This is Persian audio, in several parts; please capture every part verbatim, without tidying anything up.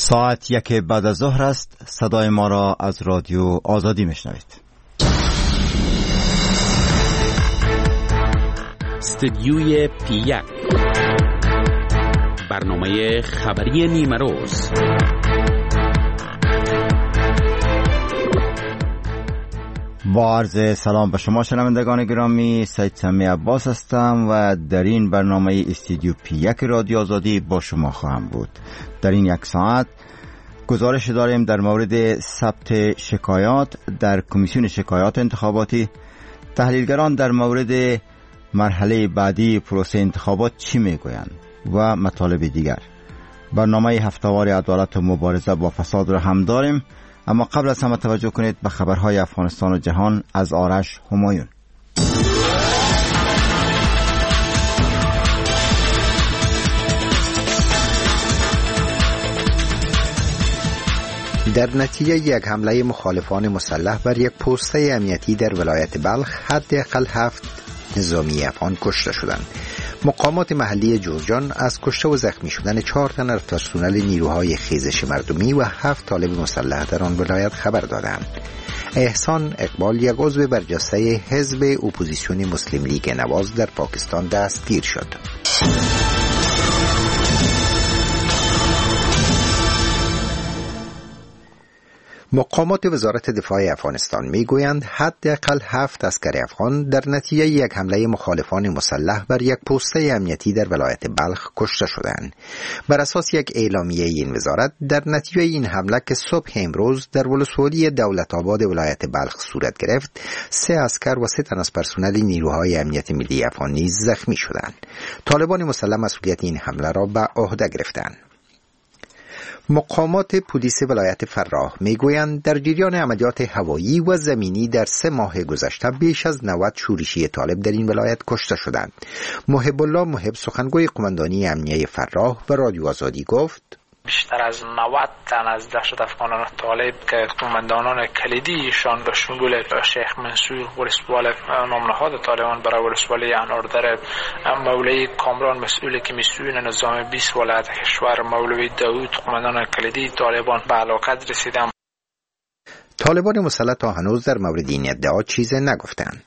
ساعت یک بعد از ظهر است. صدای ما را از رادیو آزادی میشنوید. استودیوی پی یک، برنامه خبری نیمه روز. با عرض سلام به شما شنوندگان گرامی، سید سمی عباس هستم و در این برنامه استودیو پی یک رادیو آزادی با شما خواهم بود. در این یک ساعت گزارش داریم در مورد ثبت شکایات در کمیسیون شکایات انتخاباتی، تحلیلگران در مورد مرحله بعدی پروسه انتخابات چی میگویند و مطالب دیگر. برنامه هفته‌وار عدالت و مبارزه با فساد را هم داریم، اما قبل از همه توجه کنید به خبرهای افغانستان و جهان از آرش همایون. در نتیجه یک حمله مخالفان مسلح بر یک پوسته امنیتی در ولایت بلخ حداقل هفت نظامی افغان کشته شدند. مقامات محلی جوزجان از کشته و زخمی شدن چهار تن از پرسنل نیروهای خیزش مردمی و هفت طالب مسلح در آن ولایت خبر دادند. احسان اقبال، یک عضو برجسته حزب اپوزیسیون مسلم لیگ نواز در پاکستان دستگیر شد. مقامات وزارت دفاع افغانستان میگویند حداقل هفت عسکر افغان در نتیجه یک حمله مخالفان مسلح بر یک پوسته امنیتی در ولایت بلخ کشته شدند. بر اساس یک اعلامیه این وزارت، در نتیجه این حمله که صبح امروز در ولسوالی دولت آباد ولایت بلخ صورت گرفت، سه عسکر و سه تن از پرسنل نیروهای امنیت ملی افغان نیز زخمی شدند. طالبان مسلح مسئولیت این حمله را به عهده گرفتند. مقامات پلیس ولایت فراه میگویند در جریان عملیات هوایی و زمینی در سه ماه گذشته بیش از نود شورشی طالب در این ولایت کشته شدند. محب الله محب، سخنگوی قماندانی امنیه فراه، به رادیو آزادی گفت: بیشتر از نود تن از دهشت افغانان طالب که قماندانان کلیدیشان به شمول شیخ منصور ولسوال نامنهاد طالبان برای ولسوالی اناردر، مولوی کامران مسئول کمیسیون نظام بیست ولایت کشور، مولوی داود قماندان کلیدی طالبان به هلاکت رسیدند. طالبان مسلح تا هنوز در مورد این ادعا چیز نگفتند.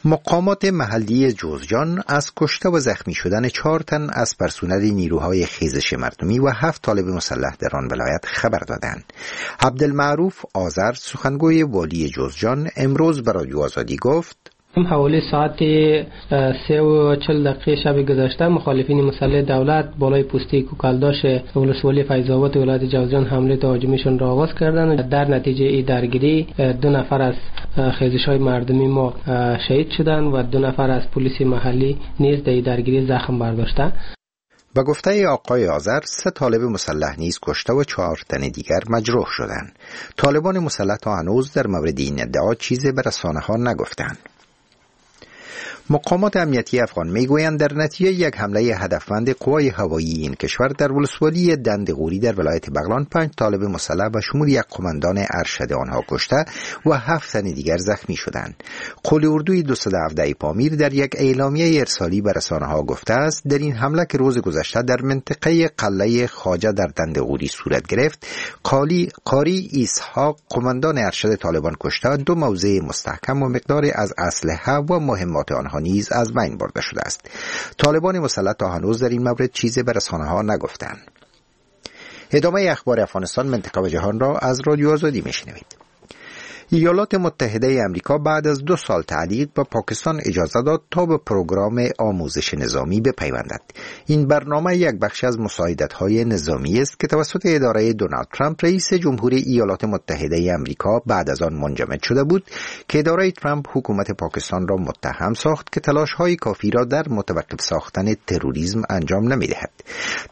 مقامات محلی جوزجان از کشته و زخمی شدن چهار تن از پرسنل نیروهای خیزش مردمی و هفت طالب مسلح در آن ولایت خبر دادند. عبدالمعروف آذر، سخنگوی والی جوزجان، امروز به رادیو آزادی گفت: حوالی ساعت سه و چل دقیقه شب گذشته مخالفین مسلح دولت بالای پوسته کوکلداش ولسوالی فیض‌آباد ولایت جوزجان حمله تهاجمیشون را آغاز کردند. در نتیجه این درگیری دو نفر از خیزش‌های مردمی ما شهید شدند و دو نفر از پلیس محلی نیز در درگیری زخم برداشتند. به گفته آقای آذر، سه طالب مسلح نیز کشته و چهار تن دیگر مجروح شدند. طالبان مسلح تا هنوز در مورد این ادعا چیزی به رسانه‌ها نگفتند. مقامات امنیتی افغان میگویند در نتیجه یک حمله هدفمند قوای هوایی این کشور در ولسوالی دندغوری در ولایت بغلان پنج طالب مسلح به شمول یک قماندان ارشد آنها کشته و هفت تن دیگر زخمی شدند. قول اردوی دویست و هفده پامیر در یک اعلامیه ارسالی به رسانه‌ها گفته است در این حمله که روز گذشته در منطقه قلعه خواجه در دندغوری صورت گرفت، قالی قاری اسحاق قماندان ارشد طالبان کشته، دو موضع مستحکم و مقدار از اسلحه و مهمات آنها نیز از بین برده شده است. طالبان مسلح تا هنوز در این مورد چیزی به رسانه‌ها نگفتند. ادامه اخبار افغانستان، منطقه و جهان را از رادیو آزادی میشنوید. ایالات متحده امریکا بعد از دو سال تعلیق به پاکستان اجازه داد تا به پروگرام آموزش نظامی بپیوندد. این برنامه یک بخش از مساعدت‌های نظامی است که توسط اداره دونالد ترامپ رئیس جمهوری ایالات متحده امریکا بعد از آن منجمد شده بود که اداره ترامپ حکومت پاکستان را متهم ساخت که تلاش‌های کافی را در متوقف ساختن تروریسم انجام نمی‌دهد.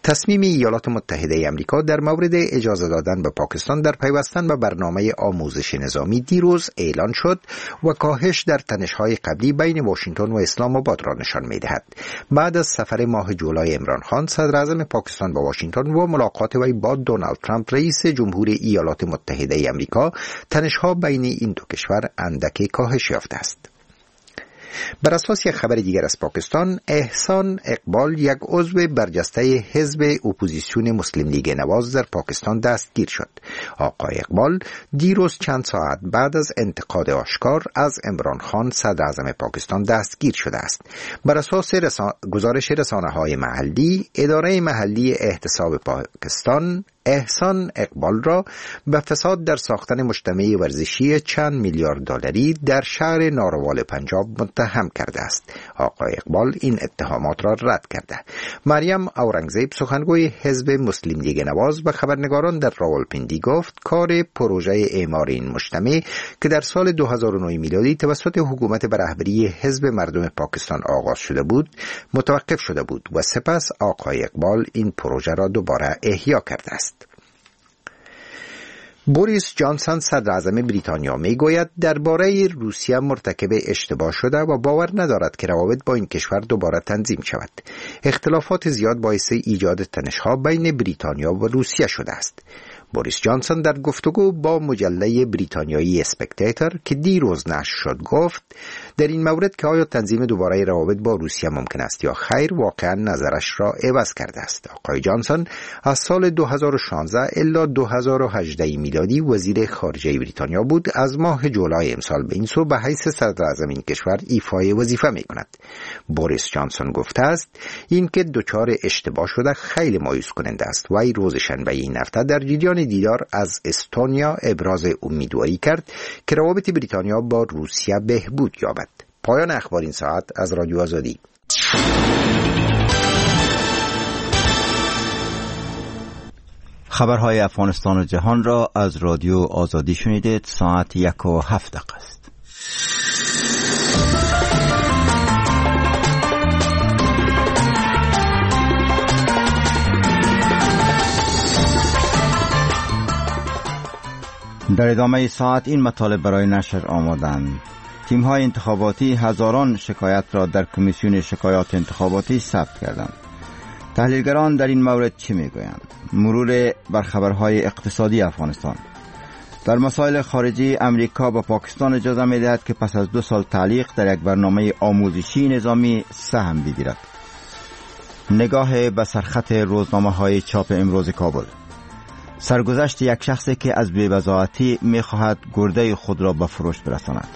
تصمیم ایالات متحده امریکا در مورد اجازه دادن به پاکستان در پیوستن به برنامه آموزش نظامی دیروز اعلان شد و کاهش در تنش‌های قبلی بین واشنگتن و اسلام آباد را نشان می‌دهد. بعد از سفر ماه جولای عمران خان صدر اعظم پاکستان با واشنگتن و ملاقات وی با دونالد ترامپ رئیس جمهور ایالات متحده امریکا، تنش‌ها بین این دو کشور اندکی کاهش یافته است. بر اساس یک خبر دیگر از پاکستان، احسان اقبال یک عضو برجسته حزب اپوزیسیون مسلم لیگ نواز در پاکستان دستگیر شد. آقای اقبال دیروز چند ساعت بعد از انتقاد آشکار از عمران خان صدر اعظم پاکستان دستگیر شده است. بر اساس رسا... گزارش رسانه‌های محلی، اداره محلی احتساب پاکستان احسان اقبال را به فساد در ساختن مجتمع ورزشی چند میلیارد دلاری در شهر ناروال پنجاب متهم کرده است. آقای اقبال این اتهامات را رد کرده. مریم اورنگزیب سخنگوی حزب مسلم لیگ نواز به خبرنگاران در راولپندی گفت کار پروژه اعمار این مجتمع که در سال دو هزار و نه میلادی توسط حکومت به رهبری حزب مردم پاکستان آغاز شده بود متوقف شده بود و سپس آقای اقبال این پروژه را دوباره احیا کرده است. بوریس جانسون صدر اعظم بریتانیا میگوید درباره روسیه مرتکب اشتباه شده و باور ندارد که روابط با این کشور دوباره تنظیم شود. اختلافات زیاد باعث ایجاد تنش‌ها بین بریتانیا و روسیه شده است. بوریس جانسون در گفتگو با مجله بریتانیایی اسپکتیتر که دیروز نشر شد گفت در این مورد که آیا تنظیم دوباره روابط با روسیه ممکن است یا خیر، واقعا نظرش را عوض کرده است. آقای جانسون از سال دو هزار و شانزده الی دو هزار و هجده میلادی وزیر خارجه بریتانیا بود. از ماه جولای امسال به این سو به حیث صدر اعظم این کشور ایفای وظیفه می کند. بوریس جانسون گفته است اینکه دچار اشتباه شده خیلی مایوس کننده است. وی روز شنبه این هفته در جریان دیدار از استونیا ابراز امیدواری کرد که روابط بریتانیا با روسیه بهبود یابد. پایان اخبار این ساعت از رادیو آزادی. خبرهای افغانستان و جهان را از رادیو آزادی شنیدید. ساعت یک و هفت دقیقه است. در ادامه ساعت این مطالب برای نشر آمادند. تیم‌های انتخاباتی هزاران شکایت را در کمیسیون شکایات انتخاباتی ثبت کردند. تحلیلگران در این مورد چه میگویند؟ مرور بر خبرهای اقتصادی افغانستان. در مسائل خارجی، امریکا به پاکستان اجازه می‌دهد که پس از دو سال تعلیق در یک برنامه آموزشی نظامی سهم بگیرد. نگاه به سرخط روزنامه‌های چاپ امروز کابل. سرگذشت یک شخصی که از بی‌بضاعتی می‌خواهد گرده خود را به فروش برساند.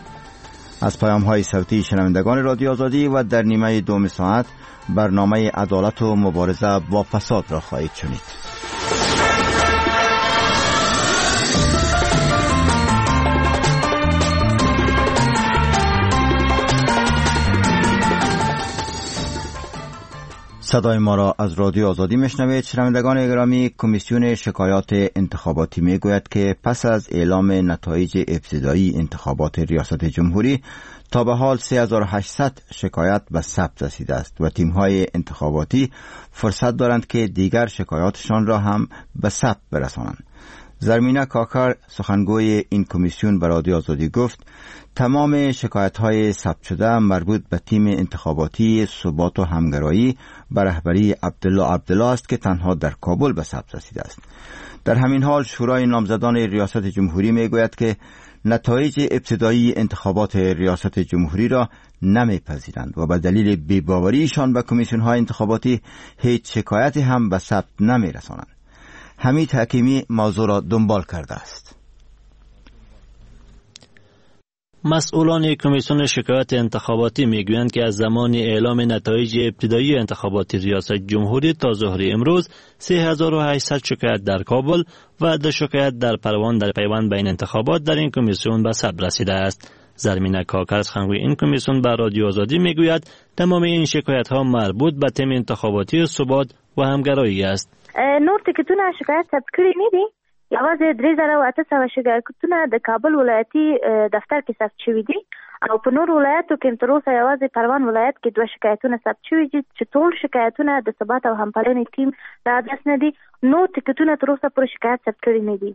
از پیام‌های صوتی شنوندگان رادیو آزادی و در نیمه دوم ساعت برنامه عدالت و مبارزه با فساد را خواهید شنید. صدای ما را از رادیو آزادی میشنوید. شنوندگان گرامی، کمیسیون شکایات انتخاباتی میگوید که پس از اعلام نتایج ابتدایی انتخابات ریاست جمهوری تا به حال سه هزار و هشتصد شکایت به ثبت رسیده است و تیم‌های انتخاباتی فرصت دارند که دیگر شکایاتشان را هم به ثبت برسانند. زرمینه کاکر سخنگوی این کمیسیون به رادیو آزادی گفت تمام شکایت‌های ثبت شده مربوط به تیم انتخاباتی ثبات و همگرایی به رهبری عبدالله عبدالله است که تنها در کابل به ثبت رسیده است. در همین حال شورای نامزدان ریاست جمهوری میگوید که نتایج ابتدایی انتخابات ریاست جمهوری را نمیپذیرند و به دلیل بی‌باوریشان به کمیسیون‌های انتخاباتی هیچ شکایتی هم به ثبت نمیرسانند. حمید حکیمی موضوع را دنبال کرده است. مسئولان کمیسیون شکایت انتخاباتی میگویند که از زمان اعلام نتایج ابتدایی انتخابات ریاست جمهوری تا ظهر امروز سه هزار و هشتصد شکایت در کابل و دو شکایت در پروان در پیوند به این انتخابات در این کمیسیون به ثبت رسیده است. زرمینه کاکر سخنگوی این کمیسیون به رادیو آزادی میگوید تمام این شکایت ها مربوط به تیم انتخاباتی ثبات و همگرایی است. نور ټکټونه شکایت ثبت کړي نه دي، یوازې درې زره او اته سوه شکایتونه د کابل ولایتي دفتر کې ثبت شوي دي او په نور ولایتو کې تر اوسه یوازې پروان ولایت کې دوه شکایتونه ثبت شوي دي چې ټول شکایتونه د ثبات او همپالنې ټیم د ادرس نه دي. نور ټکټونه تر اوسه پورې شکایت ثبت کړي نه دي.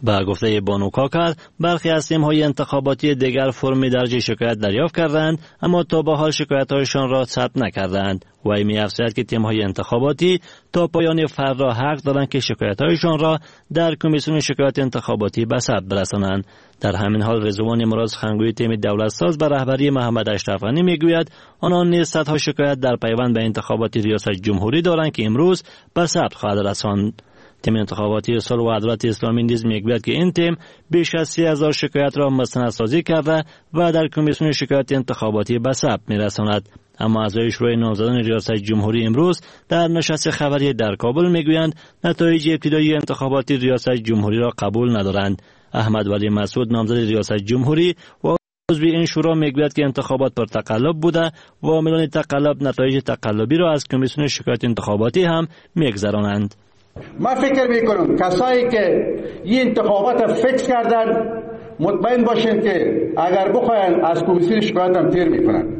به گفته بانو کاکر، برخی از تیم‌های انتخاباتی دیگر فرم درج شکایت دریافت کردند، اما تا به حال شکایت‌هایشان را ثبت نکردند. وی می‌افزاید که تیم‌های انتخاباتی تا پایان فردا حق دارند که شکایت‌هایشان را در کمیسیون شکایت انتخاباتی به ثبت برسانند. در همین حال رضوان مراد، سخنگوی تیم دولت ساز به رهبری محمد اشرف غنی، میگوید آنان نیز صدها شکایت در پیوند به انتخابات ریاست جمهوری دارند که امروز به ثبت خواهد رساند. تیم انتخاباتی صلح و عدالت اسلامی نیز میگوید که این تیم بیش از سی هزار شکایت را مستندسازی کرده و در کمیسیون شکایت انتخاباتی به ثبت میرساند. اما اعضای شورای نامزدان ریاست جمهوری امروز در نشست خبری در کابل میگویند نتایج ابتدایی انتخابات ریاست جمهوری را قبول ندارند. احمد ولی مسعود، نامزد ریاست جمهوری و عضو این شورا، میگوید که انتخابات پر تقلب بوده و عاملان تقلب نتایج تقلبی را از کمیسیون شکایت انتخاباتی هم میگذرانند. من فکر میکنم کسایی که این انتخابات فکس کردن مطمئن باشین که اگر بخواین از کمیسیون شکایت هم تیر میکنن.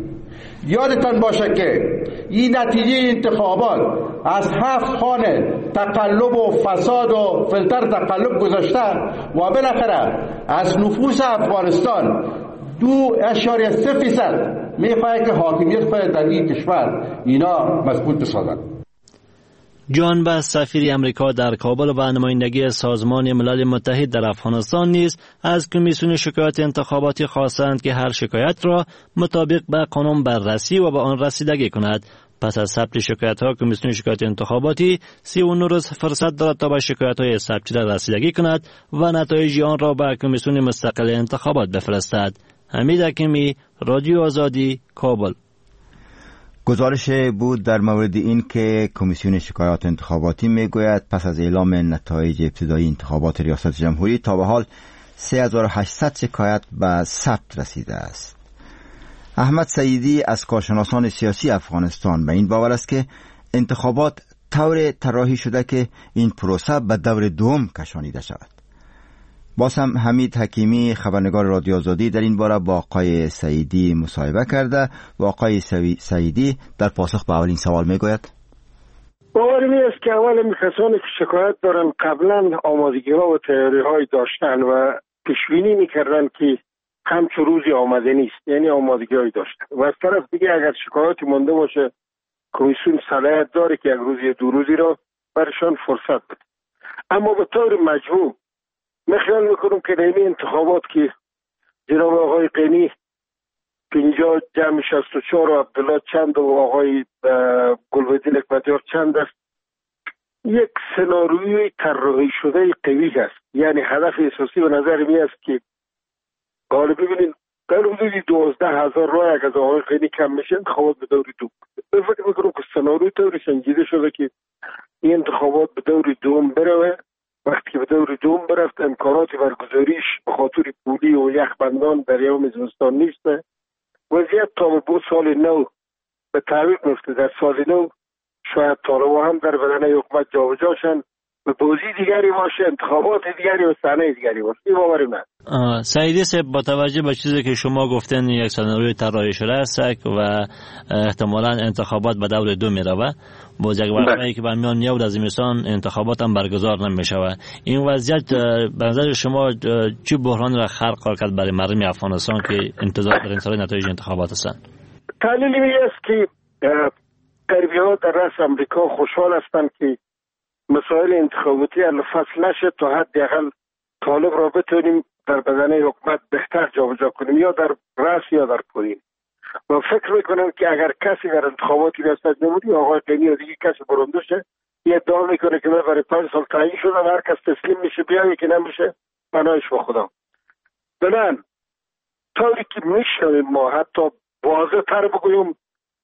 یادتان باشه که این نتیجه انتخابات از هفت خانه تقلب و فساد و فلتر تقلب گذشته و بالاخره از نفوس افغانستان دو اعشاریه سه فیصد میخواه که حاکمیت خود در این کشور اینا مضبوط بسازن. جان بس، سفیر امریکا در کابل و نمایندگی سازمان ملل متحد در افغانستان، نیز از کمیسیون شکایت انتخاباتی خواستند که هر شکایت را مطابق به قانون بررسی و به آن رسیدگی کند. پس از ثبت شکایت ها، کمیسیون شکایت انتخاباتی سی و نه روز فرصت دارد تا به شکایت های ثبت شده رسیدگی کند و نتایج آن را به کمیسیون مستقل انتخابات بفرستد. حمید حکیمی، رادیو آزادی، کابل. گزارش بود در مورد این که کمیسیون شکایات انتخاباتی میگوید پس از اعلام نتایج ابتدایی انتخابات ریاست جمهوری تا به حال سه هزار و هشتصد شکایت به ثبت رسیده است. احمد سعیدی از کارشناسان سیاسی افغانستان به این باور است که انتخابات طور طراحی شده که این پروسه به دور دوم کشانیده شود. باز هم حمید حکیمی، خبرنگار رادیو آزادی، در این باره با آقای سعیدی مصاحبه کرده و آقای سعیدی در پاسخ به اولین سوال میگوید: باور می است که اول کسانی که شکایت دارن قبلا آمادگی ها و تیاری های داشتن و پیشبینی میکردن که همچون روزی آمده نیست، یعنی آمادگی های داشتن. و از طرف دیگه اگر شکایتی مونده باشه کمیسیون صلاحیت داره که یک روزی دو روزی را برشان فرصت بده. اما به طور مجموع من خیال میکنم که در این انتخابات که جناب آقای غنی پنجاه جمع شصت و چهار و عبدالله چند و آقای گلبدین حکمتیار چند است، یک سناریوی طراحی شده قوی است. یعنی هدف اساسی به نظر می است که حالا ببینید در حدود دوازده هزار رای اگر از آقای غنی کم میشه انتخابات به دور دوم. من فکر میکنم که سناریوی طوری سنجیده شده که این انتخابات به دور دوم بروه. وقتی که به دور دوم برفت امکانات برگزاریش به خاطر پولی و یخبندان در یوم زمستان نیست. وضعیت تا به سال نو به تعویق میفته. در سال نو شاید طالبان هم در بدنه حکومت جابجا شن و بازی دیگری باشه، انتخابات دیگری و صحنه دیگری باشه. این باور من. سعیدی صاحب، با توجه به چیزی که شما گفتن یک سناریوی طراحی شده است و احتمالاً انتخابات به دور دو میروه، باز یک وقتی که به میان میاد از زمستان انتخابات هم برگزار نمیشوه، این وضعیت به نظر شما چه بحران را خلق کرد برای مردم افغانستان که انتظار در انتظار نتایج انتخابات هستند؟ تحلیل این است که غربی‌ها در رأس امریکا خوشحال هستند که مسائل انتخاباتی فصل نشه تا حداقل طالب را بتونیم در بدنه حکومت بهتر جابجا کنیم، یا در رأس یا در پایین. و فکر میکنم که اگر کسی در انتخابات ریاست جمهوری آقای غنی یا دیگه کسی برنده شه، یه ادعا میکنه که من برای پنج سال تعیین شدم، هر کس تسلیم میشه بیایه که نمیشه بنایش به خدا. بنان طوری که میشنویم ما، حتی واضح تر بگویم،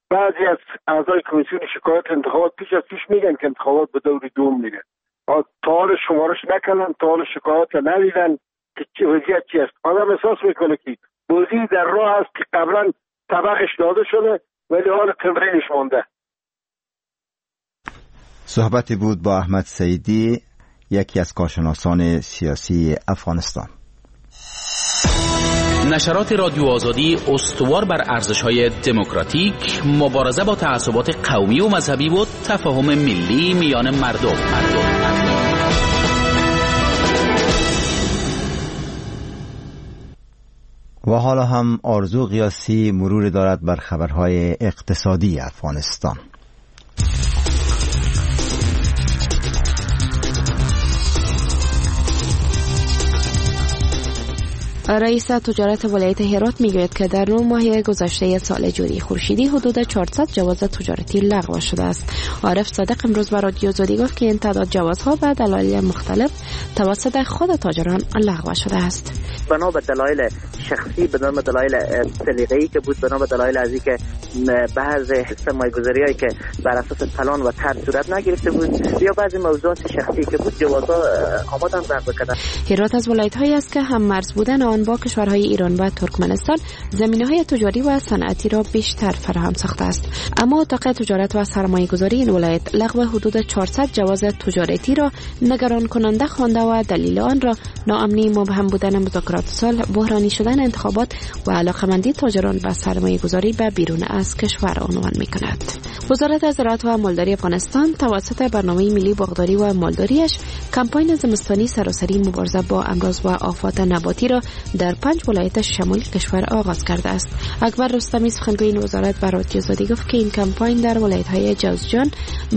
بعضی از اعضای کمیسیون شکایت انتخابات پیش از پیش میگن که انتخابات به دور دوم میره. تا حال شمارش نکنن، تا حال شکایت ندیدن که وضعیت چی است. آدم احساس میکنه که بازی در راه است که قبلا طبقش داده شده ولی حال تمرینش مانده. صحبتی بود با احمد سعیدی، یکی از کارشناسان سیاسی افغانستان. نشرات رادیو آزادی استوار بر ارزش‌های دموکراتیک، مبارزه با تعصبات قومی و مذهبی و تفاهم ملی میان مردم. مردم. و حالا هم آرزو غیاثی مرور دارد بر خبرهای اقتصادی افغانستان. رئیس تجارت ولایت هرات میگوید که در نه ماه گذشته سال جاری خورشیدی حدود چهارصد جواز تجارتی لغو شده است. عارف صادق امروز به رادیو آزادی گفت که این تعداد جوازها به دلایل مختلف توسط خود تاجران لغو شده است. بنا به دلایل شخصی، بنا به دلایل سلیقه‌ای که بود، بنا به دلایل از اینکه بعض سرمایه‌گذاری‌هایی که بر اساس پلان و طرح صورت نگرفته بود یا بعضی موضوعات شخصی که بود، جوازها آمدن لغو کردن. هرات از ولایت‌هایی است که هم مرز بودن آن با کشورهای ایران و ترکمنستان زمینه‌های تجاری و صنعتی را بیشتر فراهم ساخته است. اما اتاق تجارت و سرمایه‌گذاری این ولایت لغو حدود چهارصد جواز تجارتی را نگران کننده خوانده و دلیل آن را ناامنی، مبهم بودن مذاکرات صلح، بحرانی شدن انتخابات و علاقه‌مندی تاجران به سرمایه‌گذاری به بیرون از کشور عنوان می‌کند. وزارت زراعت و مالداری افغانستان توسط برنامه ملی باغداری و مالداریش کمپاین زمستانی سراسری مبارزه با امراض و آفات نباتی را در پنج ولایت شمال کشور آغاز کرده است. اکبر رستمی سخنگوی این وزارت به رادیو آزادی گفت که این کمپاین در ولایت‌های جوزجان،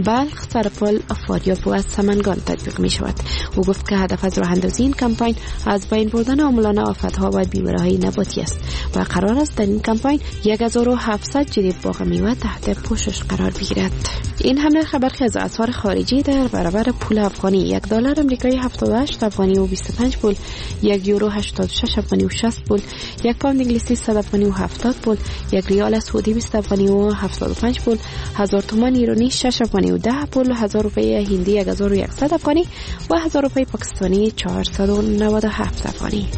بلخ، سرپل، فاریاب و سمنگان تطبیق می شود. او گفت که هدف از راه اندازی این کمپاین از بین بردن عاملان آفت‌ها و بیماری‌های نباتی است و قرار است در این کمپاین هزار و هفتصد جریب باغ میوه تحت پوشش قرار بگیرد. این هم نرخ برخی از اسعار خارجی در برابر پول افغانی: یک دلار آمریکایی هفتاد و هشت افغانی و بیست و پنج پول، یک یورو هشتاد و شش افغانی و شصت پول، یک پوند انگلیسی صد افغانی و هفتاد پول، یک ریال سعودی بیست افغانی و هفتاد و پنج پول، هزار تومان ایرانی شش افغانی و ده پول، هزار روپیه هندی هزار و یکصد افغانی و هزار روپیه پاکستانی چهارصد و نود و هفت افغانی.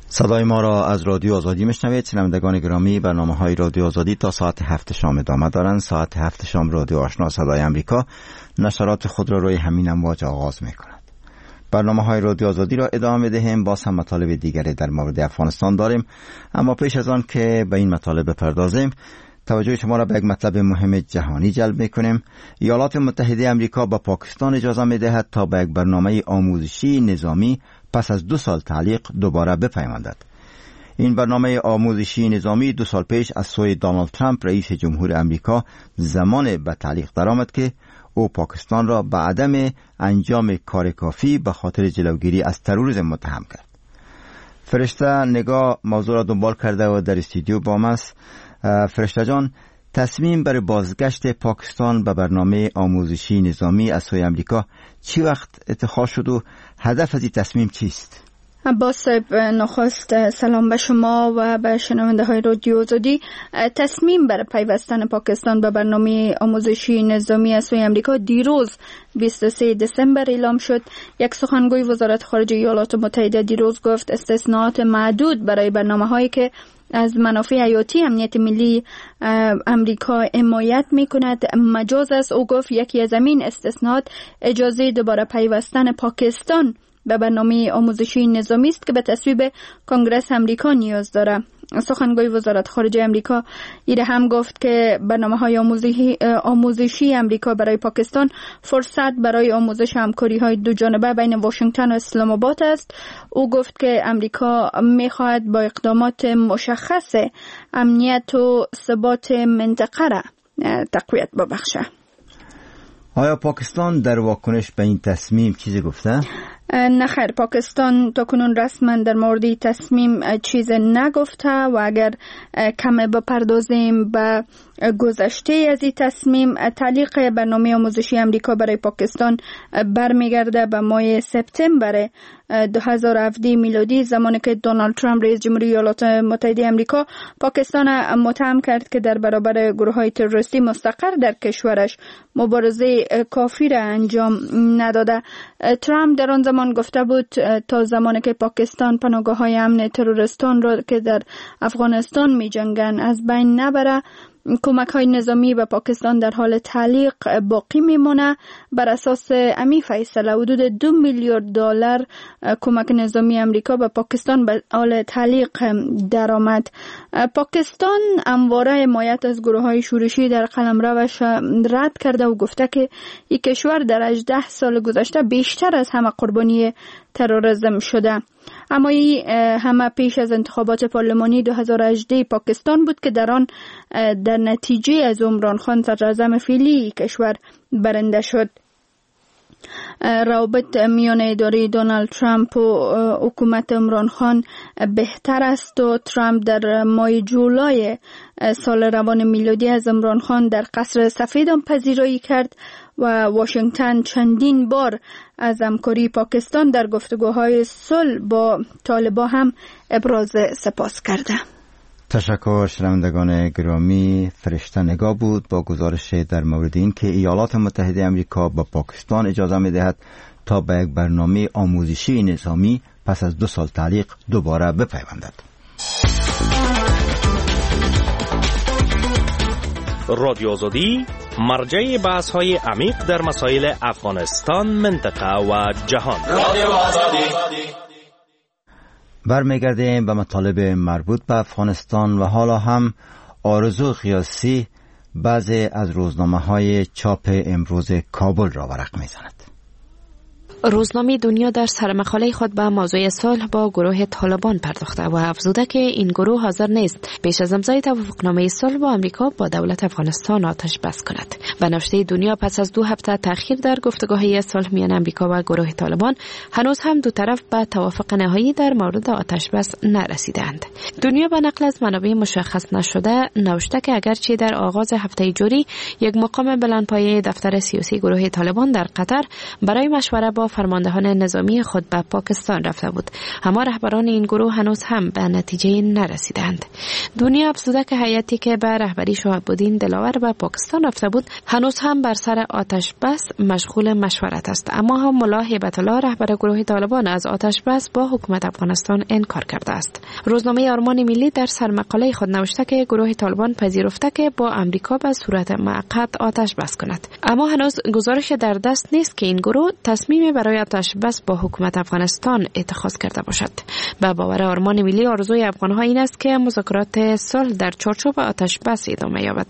صدای ما را از رادیو آزادی میشنوید. شنوندگان گرامی، برنامه‌های رادیو آزادی تا ساعت هفت شام ادامه دارند. ساعت هفت شام رادیو آشنا صدای امریکا نشرات خود را روی همین امواج آغاز می‌کند. برنامه‌های رادیو آزادی را ادامه بدهیم. باز هم مطالب دیگری در مورد افغانستان داریم، اما پیش از آن که به این مطالب بپردازیم، توجه شما را به یک مطلب مهم جهانی جلب می‌کنیم. ایالات متحده آمریکا به پاکستان اجازه می‌دهد تا به یک برنامه آموزشی نظامی پس از دو سال تعلیق دوباره بپیوندد. این برنامه آموزشی نظامی دو سال پیش از سوی دونالد ترامپ رئیس جمهور آمریکا زمان به تعلیق درآمد که او پاکستان را به عدم انجام کار کافی به خاطر جلوگیری از تروریسم متهم کرد. فرشته نگاه موضوع را دنبال کرده و در استودیو با ما است. فرشته جان، تصمیم برای بازگشت پاکستان به برنامه آموزشی نظامی از سوی آمریکا چی وقت اتخاذ شد و هدف از این تصمیم چیست؟ عباس صاحب، نخست سلام به شما و به شنونده های رادیو آزادی. تصمیم برای پیوستن پاکستان به برنامه آموزشی نظامی از سوی آمریکا دیروز بیست و سه دسامبر اعلام شد. یک سخنگوی وزارت خارجه ایالات متحده دیروز گفت استثناءات معدود برای برنامه هایی که از منافع حیاتی امنیت ملی امریکا حمایت می کند مجاز است. او گفت یکی از این استثناءات اجازه دوباره پیوستن پاکستان به برنامه آموزشی نظامی است که به تصویب کنگرس امریکا نیاز دارد. سخنگوی وزارت خارجه امریکا ایره هم گفت که برنامه‌های آموزشی آموزشی امریکا برای پاکستان فرصت برای آموزش همکاری‌های دو جانبه بین واشنگتن و اسلام آباد است. او گفت که امریکا می‌خواهد با اقدامات مشخص امنیت و ثبات منطقه را تقویت ببخشد. آیا پاکستان در واکنش به این تصمیم چیزی گفته؟ نه خیر، پاکستان تا کنون رسما در مورد تصمیم چیز نگفته و اگر کم بپردازیم به گذشته از این تصمیم، تعلیق برنامه آموزشی امریکا برای پاکستان برمیگرده به ماه سپتامبر دو هزار و هفده میلادی، زمانی که دونالد ترامپ رئیس جمهوری ایالات متحده امریکا پاکستان متهم کرد که در برابر گروه‌های تروریستی مستقر در کشورش مبارزه کافی را انجام نداده. ترامپ در آن زمان گفته بود تا زمانی که پاکستان پناهگاه‌های امن تروریستان را که در افغانستان می‌جنگند از بین نبره، کمک های نظامی به پاکستان در حال تعلیق باقی میمونه. بر اساس امی فیصله حدود دو میلیارد دلار کمک نظامی امریکا به پاکستان به حال تعلیق درآمد. پاکستان همواره حمایت از گروه های شورشی در قلمروش رد کرده و گفته که این کشور در هجده سال گذشته بیشتر از همه قربانی تروریسم شده. اما این همه پیش از انتخابات پارلمانی دو هزار و هجده پاکستان بود که در آن در نتیجه از عمران خان صدراعظم فعلی کشور برنده شد. روابط میان اداره دونالد ترامپ و حکومت عمران خان بهتر است و ترامپ در ماه جولای سال روان میلادی از عمران خان در قصر سفید هم پذیرایی کرد و واشنگتن چندین بار از همکاری پاکستان در گفتگوهای صلح با طالبان هم ابراز سپاس کرده. تشکر شنوندگان گرامی. فرشته نگاه بود با گزارش در مورد این که ایالات متحده امریکا با پاکستان اجازه می‌دهد تا به یک برنامه آموزشی نظامی پس از دو سال تعلیق دوباره بپیوندد. رادیو آزادی، مرجع بحث‌های عمیق در مسائل افغانستان، منطقه و جهان. رادیو آزادی. برمیگردیم به مطالب مربوط به افغانستان و حالا هم آرزو قیاسی بعضی از روزنامه‌های چاپ امروز کابل را ورق می‌زند. روزنامه دنیا در سرمقاله خود به موضوع صلح با گروه طالبان پرداخته و افزوده که این گروه حاضر نیست پیش از امضای توافقنامه صلح با آمریکا با دولت افغانستان آتش بس کند. به نوشته دنیا پس از دو هفته تأخیر در گفتگوهای صلح میان آمریکا و گروه طالبان هنوز هم دو طرف به توافق نهایی در مورد آتش بس نرسیدند. دنیا به نقل از منابع مشخص نشده نوشته که اگرچه در آغاز هفته جاری یک مقام بلندپایه دفتر سیاسی گروه طالبان در قطر برای مشوره با فرماندهان نظامی خود به پاکستان رفته بود، اما رهبران این گروه هنوز هم به نتیجه نرسیدند. دنیا افزوده که هیئتی که به رهبری شهاب الدین دلاور به پاکستان رفته بود هنوز هم بر سر آتش بس مشغول مشورت است، اما هم ملا هیبت الله رهبر گروه طالبان از آتش بس با حکومت افغانستان انکار کرده است. روزنامه آرمان ملی در سرمقاله خود نوشته که گروه طالبان پذیرفته که با آمریکا به صورت موقت آتش بس کند، اما هنوز گزارش در دست نیست که این گروه تصمیم برای آتش بس با حکومت افغانستان اتخاذ کرده باشد. به باور آرمان ملی آرزوی افغانها این است که مذاکرات صلح در چارچوب آتش بس ادامه یابد.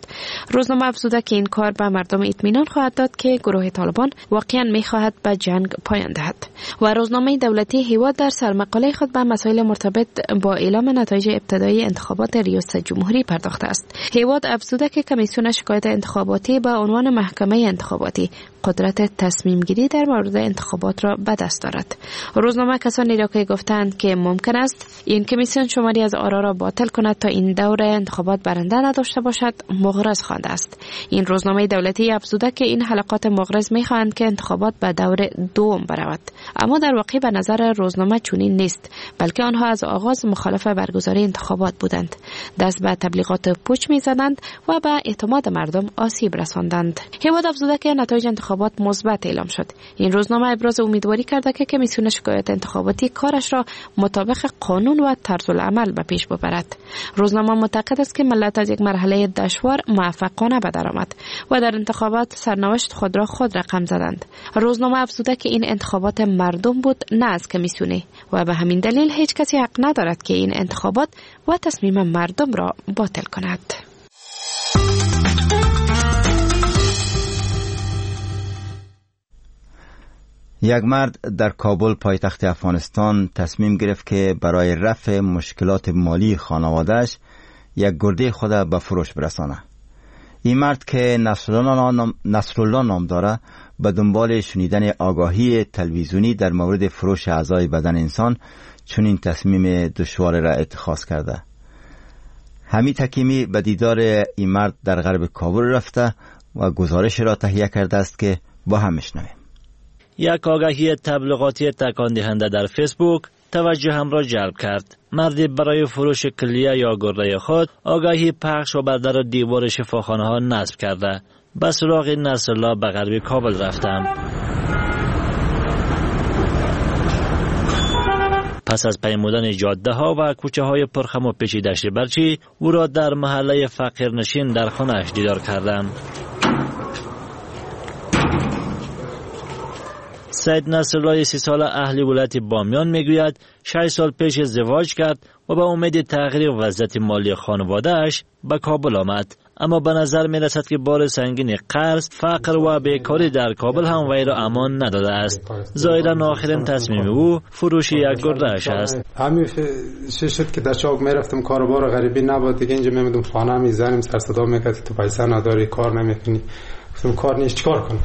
روزنامه افزوده که این کار به مردم اطمینان خواهد داد که گروه طالبان واقعا میخواهد به جنگ پایان دهد. و روزنامه دولتی هیواد در سرمقاله خود به مسائل مرتبط با اعلام نتایج ابتدایی انتخابات ریاست جمهوری پرداخته است. هیواد افزوده که کمیسیون شکایت انتخاباتی به عنوان محکمه انتخاباتی قدرت تصمیم گیری در مورد انتخابات را به دست دارد. روزنامه کسانی را که گفتند که ممکن است این کمیسیون شماری از آرا را باطل کند تا این دور انتخابات برنده نداشته باشد مغرض خوانده است. این روزنامه دولتی افزوده که این حلقات مغرض میخواهند که انتخابات به دور دوم برود، اما در واقع به نظر روزنامه چنین نیست، بلکه آنها از آغاز مخالف برگزاری انتخابات بودند، دست به تبلیغات پوچ میزدند و به اعتماد مردم آسیب رساندند. هیواد افزوده که نتایج انتخابات مثبت اعلام شد. این روزنامه ابراز امیدواری کرده که کمیسیون شکایت انتخاباتی کارش را مطابق قانون و طرز العمل به پیش ببرد. روزنامه معتقد است که ملت از یک مرحله دشوار موفقانه به در آمد و در انتخابات سرنوشت خود را خود رقم زدند. روزنامه افزوده که این انتخابات مردم بود نه از کمیسیونی و به همین دلیل هیچ کسی حق ندارد که این انتخابات و تصمیم مردم را باطل کند. یک مرد در کابل پایتخت افغانستان تصمیم گرفت که برای رفع مشکلات مالی خانواده‌اش یک گرده خود به فروش برسانه. این مرد که نصرالله نام داره به دنبال شنیدن آگاهی تلویزیونی در مورد فروش اعضای بدن انسان چنین تصمیم دشوار را اتخاذ کرده. حمید حکیمی به دیدار این مرد در غرب کابل رفته و گزارش را تهیه کرده است که با هم میشنویم. یک آگهی تبلیغاتی تکان دهنده در فیسبوک توجه هم را جلب کرد. مردی برای فروش کلیه یا گرده خود آگهی پخش و بر در دیوار شفاخانه ها نصب کرده. به سراغ نصرالله به غرب کابل رفتم. پس از پیمودن جاده ها و کوچه های پرخم و پیچ دشت برچی، او را در محله فقیرنشین در خانه‌اش دیدار کردم. سید نصرالله سی ساله اهل ولایت بامیان میگوید شش سال پیش ازدواج کرد و به امید تغییر وضعیت مالی خانواده‌اش به کابل آمد، اما به نظر می رسد که بار سنگین قرض، فقر و بیکاری در کابل هم وی را امان نداده است. ظاهرا آخرین تصمیم او فروش یک گرده‌اش است. همین شد که در چاک میرفتم، کاروبار غریبی نبود دیگه، اینجا میمدم خانه میزنیم سر صدا میکرد تو پیسه نداری کار نمیکنی. گفتم کار نیست چیکار کنم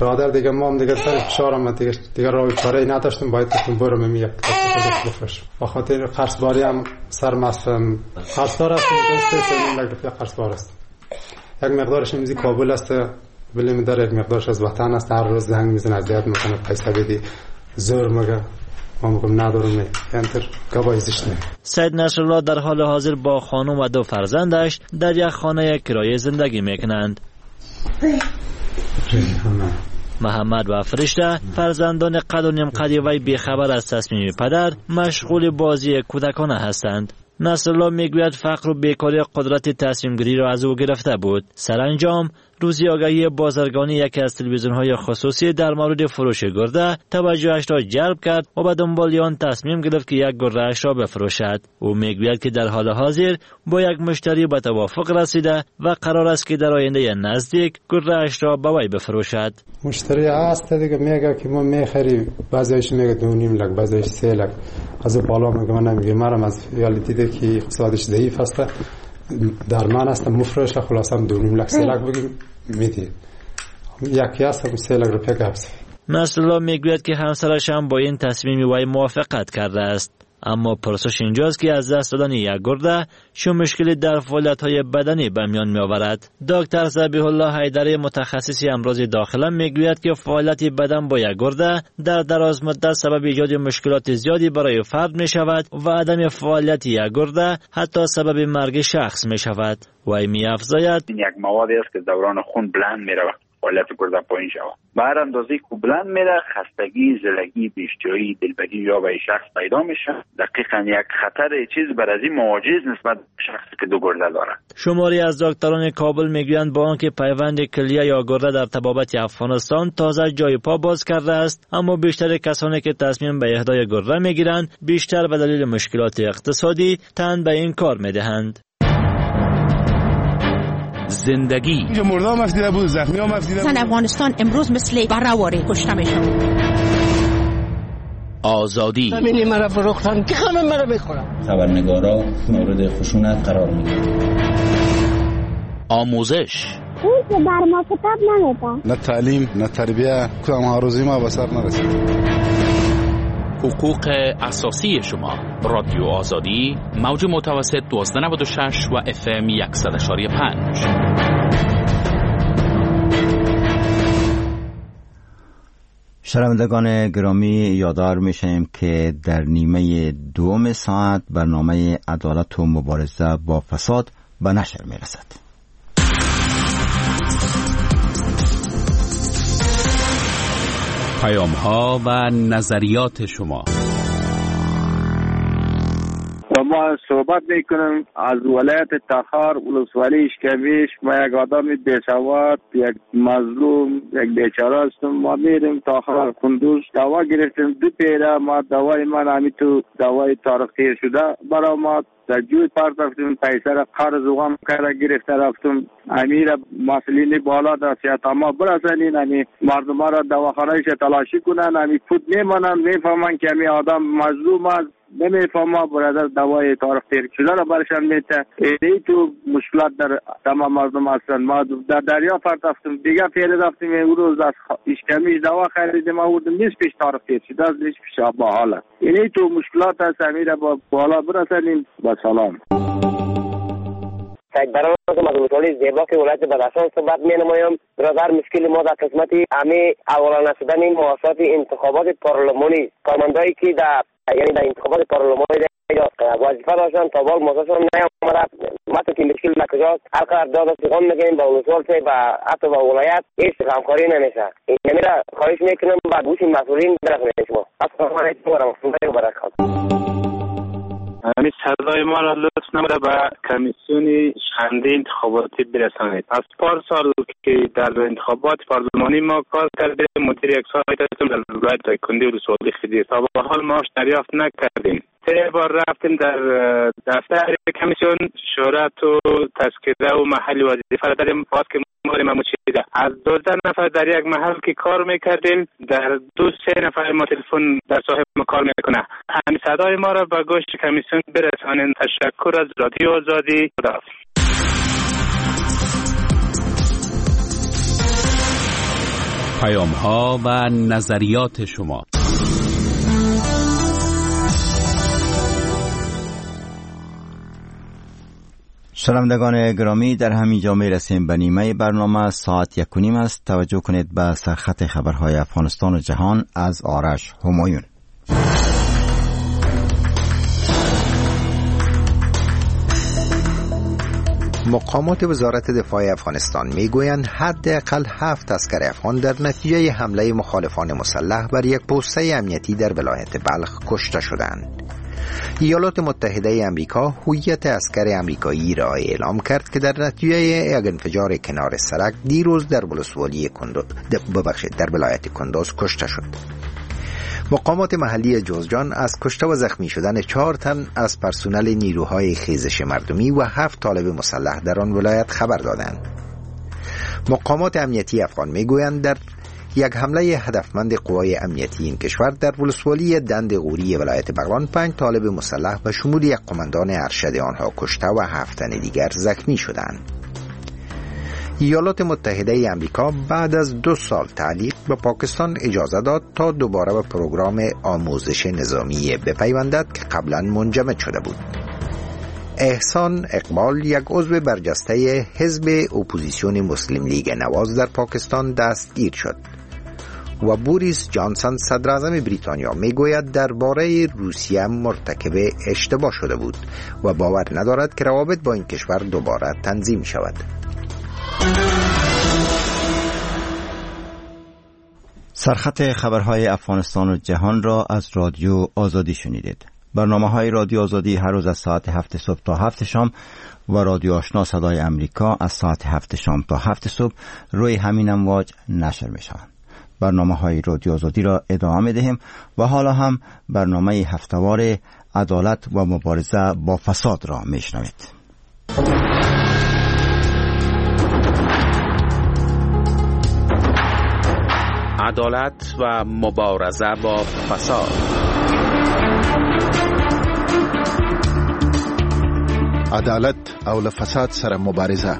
برادر، دیگه ما هم دیگه سر فشار آمد دیگه، دیگه راه چاره ای نداشتم، باید گفتم برم می یک بفروشم. با خاطر قرض هم سر مستم، قرضدار هستم، دو سه میلیون روپیه قرضدار هستم. یک مقدارش امروزی کابل است، ولی داره یک مقدارش از وطن است. هر روز زنگ میزنه اذیت میکنه، پیسه بدی زور میگه، ما میگم ندارم، انتر گواهی زشت. سید نصرالله در حال حاضر با خانم و دو فرزندش در یک خانه کرایه زندگی میکنند. محمد و فرشته فرزندان قد و نیم قد وی بیخبر از تصمیم پدر مشغول بازی کودکانه هستند. نصرالله میگوید فقر و بیکاری قدرت تصمیم گیری را از او گرفته بود. سرانجام روزی آگهی بازرگانی یکی از تلویزیون‌های خصوصی در مورد فروش گرده توجهش را جلب کرد و به دنبال آن تصمیم گرفت که یک گرده‌اش را بفروشد. او میگوید که در حال حاضر با یک مشتری به توافق رسیده و قرار است که در آینده نزدیک گرده‌اش را به وی بفروشد. مشتری هست دیگه، میگه که ما میخریم، بعضیش میگه دو نیم لک، بعضیش سه لک، از بالا میگه من نمیگه، مرم از یالی دیده که اقتصادش ضعیف است، در من هستم مفروش، خلاصم دو نیم لک سه لک بگیم میدی، یکی هستم سه لک روپیه گبسه. نصرالله میگوید که همسرش هم با این تصمیم وی موافقت کرده است، اما پرسش اینجاست که از دست دادن یک گرده چه مشکلی در فعالیت‌های بدنی به میان می‌آورد. دکتر ذبیح الله حیدری متخصص امراض داخله میگوید که فعالیت بدن با یک گرده در دراز مدت سبب ایجاد مشکلات زیادی برای فرد می‌شود و عدم فعالیت یک گرده حتی سبب مرگ شخص می‌شود. وی می‌افزاید این یک موادی است که دوران خون بلند می‌رود، فعالیت گرده پایین شود. به هر اندازه که بلند میره، خستگی، زلگی، بی‌اشتهایی، دلبدی یا به شخص پیدا میشه. دقیقاً یک خطر چیز بر از این مواجه نسبت به شخصی که دو گرده داره. شماری از دکتران کابل میگویند با آنکه پیوند کلیه یا گرده در طبابت افغانستان تازه جای پا باز کرده است، اما بیشتر کسانی که تصمیم به اهدای گرده میگیرند بیشتر به دلیل مشکلات اقتصادی تن به این کار میدهند. زندگی اینجا مردم افتیده بود، زخمی هم افتیده بود. زن افغانستان امروز مثل براواری کشته میشه. آزادی زمینی مرا فروختن که خانم مرا بخورن. خبرنگارا مورد خشونت قرار میگیرند. آموزش او بر ما کتاب نمیدن، نه تعلیم نه تربیه، کدام آرزوی ما به سر نرسید. حقوق اساسی شما، رادیو آزادی، موج متوسط دوازده نود و شش و اف ام صد و یک ممیز پنج. شنوندگان گرامی، یادآور میشیم که در نیمه دوم ساعت برنامه عدالت و مبارزه با فساد به نشر میرسد. پیام ها و نظریات شما. و ما صحبت میکنم از ولایت تخار، ولسوالی اشکمیش. ما یک آدم بیسواد، یک مظلوم، یک بیچاره هستم. ما میریم تخار کندوز دوا گرفتیم دو پیره. ما دوای من همی تو دوای تاریخ تیر شده برای ما در جوی پرت رفتیم، پیسه را قرض وغم کرده گرفته رفتم. امیر مسئولین بالا در سیاست ما برسنین، امی مردم را دواخانه‌اش تلاشی کنن، امی پود میمانن، میفهمن که امی آدم مظلوم است، نمیفهمه برادر دوای تاریخ تیر شده را برشان میته. ای تو مشکلات در تمام مردم هستند. ما در دریا پرت رفتم، دیگه پیره رفتیم، اون روز از اشکمیش دوا خریدیم آوردیم، نیست پیش تاریخ تیر شده است، نیست پیش با حاله. یعنی تو مشکلات هست، امیر با بالا برسنین. با سلام. سید برام از ولسوالی زیباک ولایت بدخشان صحبت می نمایم. برادر، مشکل ما در قسمت امی اولانه شدن مؤسسات انتخابات پارلمانی، کارمندایی که در یعنی در انتخابات پارلمانی وظیفه داشتن تا بال مازشون نیامده. ما که مشکل ما کجاست؟ هر قدر داد و ستد میکنیم با ولسوال و حتی با ولایت هیچ همکاری نمیشه. این نمیره خواهش میکنم با گوش مسئولین برسونید شما. السلام علیکم و رحمت الله و برکاته. همین صدای ما را لطف نموده به کمیسیون شنده انتخاباتی برسانید. از پارسال که در انتخابات پارلمانی ما کار کردیم، مدیر یک سایت هستم در ولایت دایکندی ولسوالی خدیر، تا به حال ماش دریافت نکردیم. سه بار رفتیم در دفتر کمیسیون، شهرت و تذکره و محل وظیفه را داریم، باز که ما چیده از دوازده نفر در یک محل که کار میکردیم، در دو سه نفر ما تلفن در صاحب ما کار میکنه. همین صدای ما را به گوش کمیسیون برسانین. تشکر از رادیو آزادی. خداحافظ. پیام ها و نظریات شما. شنوندگان گرامی، در همین جا می رسیم به نیمه برنامه. ساعت یک و نیم است. توجه کنید به سرخط خبرهای افغانستان و جهان از آرش همایون. مقامات وزارت دفاع افغانستان میگویند حداقل هفت عسکر افغان در نتیجه حمله مخالفان مسلح بر یک پوسته امنیتی در ولایت بلخ کشته شدند. ایالات متحده امریکا هویت عسکر امریکایی را اعلام کرد که در نتیجه یک انفجار کنار سرک دیروز در ولسوالی کندوز ببخشید در ولایت کندوز کشته شد. مقامات محلی جوزجان از کشته و زخمی شدن چهار تن از پرسنل نیروهای خیزش مردمی و هفت طالب مسلح در آن ولایت خبر دادند. مقامات امنیتی افغان میگویند در یک حمله هدفمند قوای امنیتی این کشور در ولسوالی دند غوری ولایت بغلان پنج طالب مسلح و شمول یک قماندان ارشد آنها کشته و هفت تن دیگر زخمی شدند. ایالات متحده امریکا بعد از دو سال تعلیق به پاکستان اجازه داد تا دوباره به پروگرام آموزش نظامی بپیوندد که قبلا منجمد شده بود. احسان اقبال، یک عضو برجسته حزب اپوزیسیون مسلم لیگ نواز در پاکستان دستگیر شد. و بوریس جانسون صدراعظم بریتانیا میگوید درباره روسیه مرتکب اشتباه شده بود و باور ندارد که روابط با این کشور دوباره تنظیم شود. سرخط خبرهای افغانستان و جهان را از رادیو آزادی شنیدید. برنامه های رادیو آزادی هر روز از ساعت هفت صبح تا هفت شام و رادیو آشنا صدای امریکا از ساعت هفت شام تا هفت صبح روی همین امواج نشر می شوند. برنامه های رادیو آزادی را ادامه می دهیم و حالا هم برنامه هفتوار عدالت و مبارزه با فساد را می شنوید. عدالت و مبارزه با فساد. عدالت او له فساد سره مبارزه.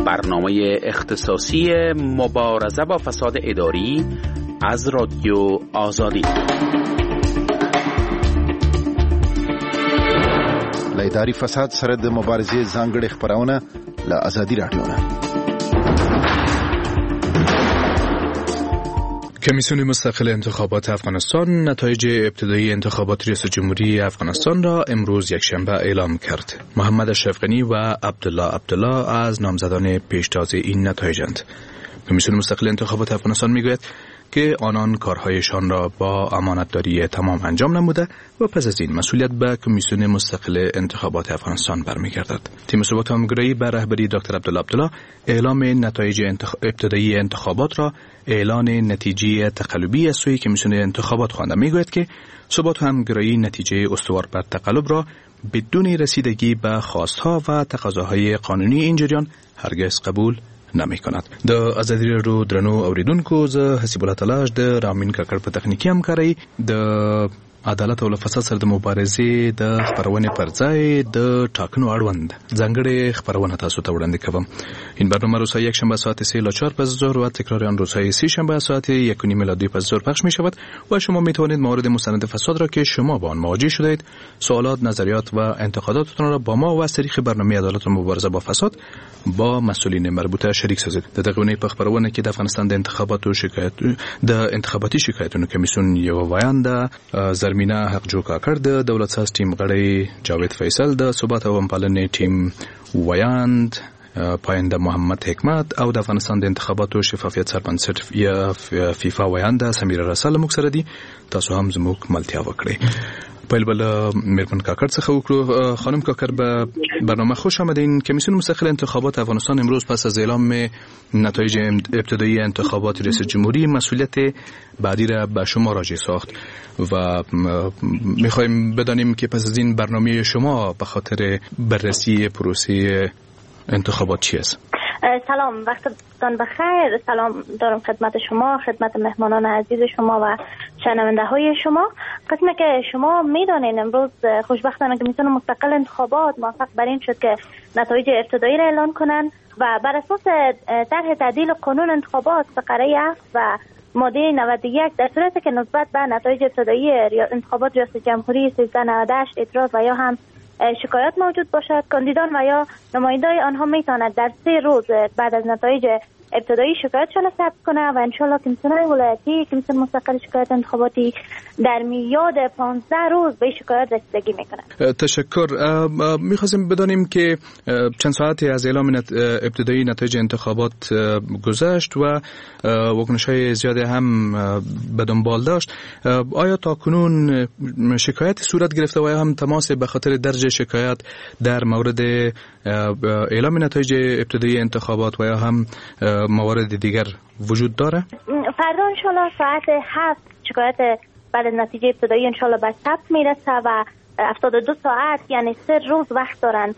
برنامه اختصاصی مبارزه با فساد اداری از رادیو آزادی. له اداري فساد سره د مبارزې ځانګړې خپرونه له ازادي راډیو نه. کمیسیون مستقل انتخابات افغانستان نتایج ابتدایی انتخابات ریاست جمهوری افغانستان را امروز یکشنبه اعلام کرد. محمد اشرف غنی و عبدالله عبدالله از نامزدان پیشتاز این نتایجند. کمیسیون مستقل انتخابات افغانستان میگوید که آنان کارهایشان را با امانتداری تمام انجام نموده و پس از این مسئولیت به کمیسیون مستقل انتخابات افغانستان برمیگردد. تیم ثبات همگرایی به رهبری دکتر عبدالله عبدالله اعلام نتایج انتخ... ابتدایی انتخابات را اعلان نتیجه تقلبی از سوی کمیسیون انتخابات خوانده. میگوید که ثبات همگرایی نتیجه استوار بر تقلب را بدون رسیدگی به خواستها و تقاضاهای قانونی این جریان هرگز قبول نمی کند. د ازادي راډیو درنو اوریدونکو، زه حسیب الله تلاش د رامین کاکړ په تخنیکي همکارۍ د عدالت او له فساد سره د مبارزې د خپرونې پر ځای د ټاکنو اړوند ځانګړې خپرونه تاسو ته وړاندې کوم. این برنامه روزهای یک شنبه ساعت سه الی چهار پس از ظهر و تکرار آن روزهای سه شنبه ساعت یک و نیم الی دو پس از ظهر پخش می شود و شما می توانید موارد مستند فساد را که شما با آن مواجه شدید، سوالات، نظریات و انتقاداتتان را با ما و از طریق برنامه عدالت و مبارزه با فساد با مسئولین مربوطه شریک سازید. د دغه اونۍ په خپرونه کې د افغانستان د انتخاباتو شکایت د انتخاباتي شکایتونو کمیسیون یو ویانده زرمینه حقجو کاکړ، د دولت ساز ټیم غړی جاوید فیصل، د ثبات او همپالنې ټیم ویاند پاینده محمد حکمت او د افغانستان د انتخاباتو شفافیت سربنسټ یا فیفا ویانده سمیره رسا له موږ سره دي. تاسو هم زموږ ملتیا وکړئ. پیل به له میرمن کاکړ څخه وکړو. خانم کاکړ، به برنامه خوش آمدین. کمیسیون مستقل انتخابات افغانستان امروز پس از اعلام نتایج ابتدایی انتخابات ریاست جمهوری مسئولیت بعدی را به شما راجع ساخت و میخوایم بدانیم که پس از این برنامه شما به خاطر بررسی پروسه انتخابات چی است؟ سلام، وقتتان بخیر. سلام دارم خدمت شما، خدمت مهمانان عزیز شما و شنونده های شما. قسمی که شما میدانین امروز خوشبختانه کمیسیون مستقل انتخابات موفق بر این شد که نتایج ابتدایی را اعلان کنند و بر اساس طرح تعدیل قانون انتخابات فقره هفت و ماده نود و یک در صورتی که نسبت به نتایج ابتدایی انتخابات ریاست جمهوری سیزده نود و هشت اعتراض و یا هم شکایت موجود باشد، کاندیدان و یا نمایندای آنها میتواند در سه روز بعد از نتایج ابتدایی شکایتشان را ثبت کنه و انشالله کمیسیون ولایتی، کمیسیون مستقل شکایت انتخاباتی در میعاد پانزده روز به شکایت رسیدگی میکنه. تشکر. میخواستیم بدانیم که چند ساعتی از اعلام ابتدایی نتایج انتخابات گذشت و واکنش‌های زیادی هم به دنبال داشت. آیا تا کنون شکایت صورت گرفته و یا هم تماس به خاطر درج شکایت در مورد اعلام نتایج ابتدایی انتخابات و یا هم موارد دیگر وجود داره؟ فردا انشالله ساعت هفت شکایت بعد از نتیجه ابتدایی انشالله به ثبت میرسه و هفتاد و دو ساعت یعنی سه روز وقت دارن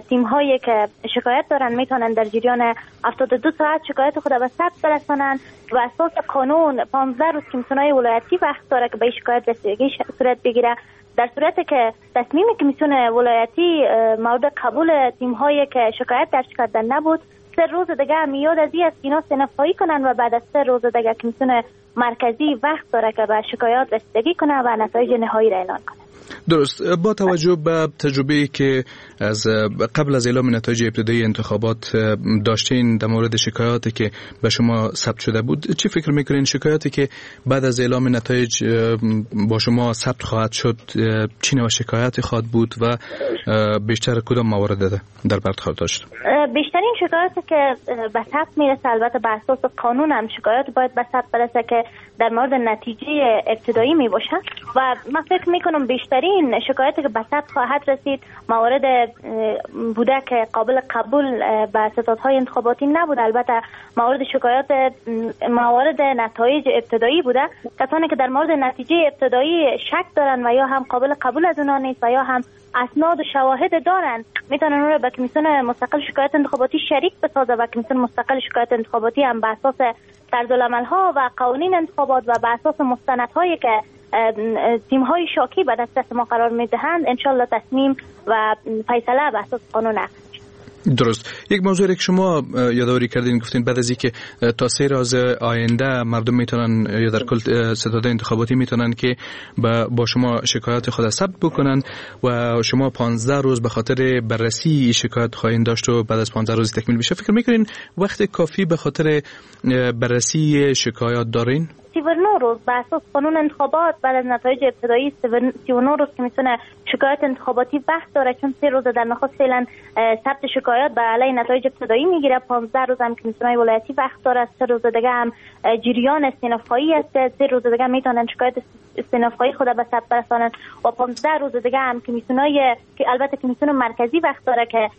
تیم هایی که شکایت دارن میتونن در جریان هفتاد و دو ساعت شکایت خود به ثبت برسانن و اساس قانون پانزده روز کمیسیون‌های ولایتی وقت داره که به شکایت رسیدگی صورت بگیره. در صورت که تصمیم کمیسیون ولایتی مورد قبول تیم هایی که شکایت درج کردن نبود، سه روز دیگه میاد از این اینا استیناف‌خواهی کنن و بعد از سه روز دیگه کمیسیون مرکزی وقت داره که به شکایات رسیدگی کنه و نتایج نهایی را اعلان کنه. درست. با توجه به تجربه‌ای که از قبل از اعلام نتایج ابتدایی انتخابات داشتین در مورد شکایاتی که به شما ثبت شده بود، چی فکر میکنین شکایاتی که بعد از اعلام نتایج با شما ثبت خواهد شد چی نوع شکایاتی خواهد بود و بیشتر کدام موارد در بر خواهد داشت؟ بیشترین شکایاتی که به ثبت میرسه، البته بر اساس قانون هم شکایات باید به ثبت برسه که در مورد نتیجه ابتدایی می باشه و من فکر میکنم بیشترین شکایتی که به ثبت خواهد رسید موارد بوده که قابل قبول به ستادهای انتخاباتی نبود. البته موارد شکایات موارد نتایج ابتدایی بوده، کسانی که در مورد نتیجه ابتدایی شک دارن و یا هم قابل قبول از اونها نیست و یا هم اسناد و شواهد دارن میتونن اون رو به کمیسیون مستقل شکایت انتخاباتی شریک بسازه و کمیسیون مستقل شکایت انتخاباتی هم به اساس طرزالعمل‌ها و قوانین انتخابات و به اساس مستندهایی که تیم‌های شاکی به دست ما قرار میدهند انشالله تصمیم و فیصله به اساس قانون اخذ. درست. یک موضوع که شما یادآوری کردین، گفتین بعد از اینکه تا سه روز آینده مردم میتونن یا در کل ستاد انتخاباتی میتونن که با شما شکایت خود ثبت بکنن و شما پانزده روز به خاطر بررسی شکایت خواهید داشت و بعد از پانزده روز تکمیل بشه. فکر میکنین وقت کافی به خاطر بررسی شکایات دارین؟ سی و نه روز به اساس قانون انتخابات بعد از نتایج ابتدایی سی و نه روز کمیسیون شکایت انتخاباتی وقت داره، چون سه روز در نخست فعلا ثبت شکایات به علیه نتایج ابتدایی میگیره، پانزده روز هم کمیسیون‌های ولایتی وقت داره، سه روز دیگه هم جریان استیناف‌خواهی است، سه روز دیگه میتونن شکایت استیناف‌خواهی خود به ثبت برسانن و پانزده روز دیگه هم کمیسیون‌های که البته کمیسیون مرکزی وقت داره که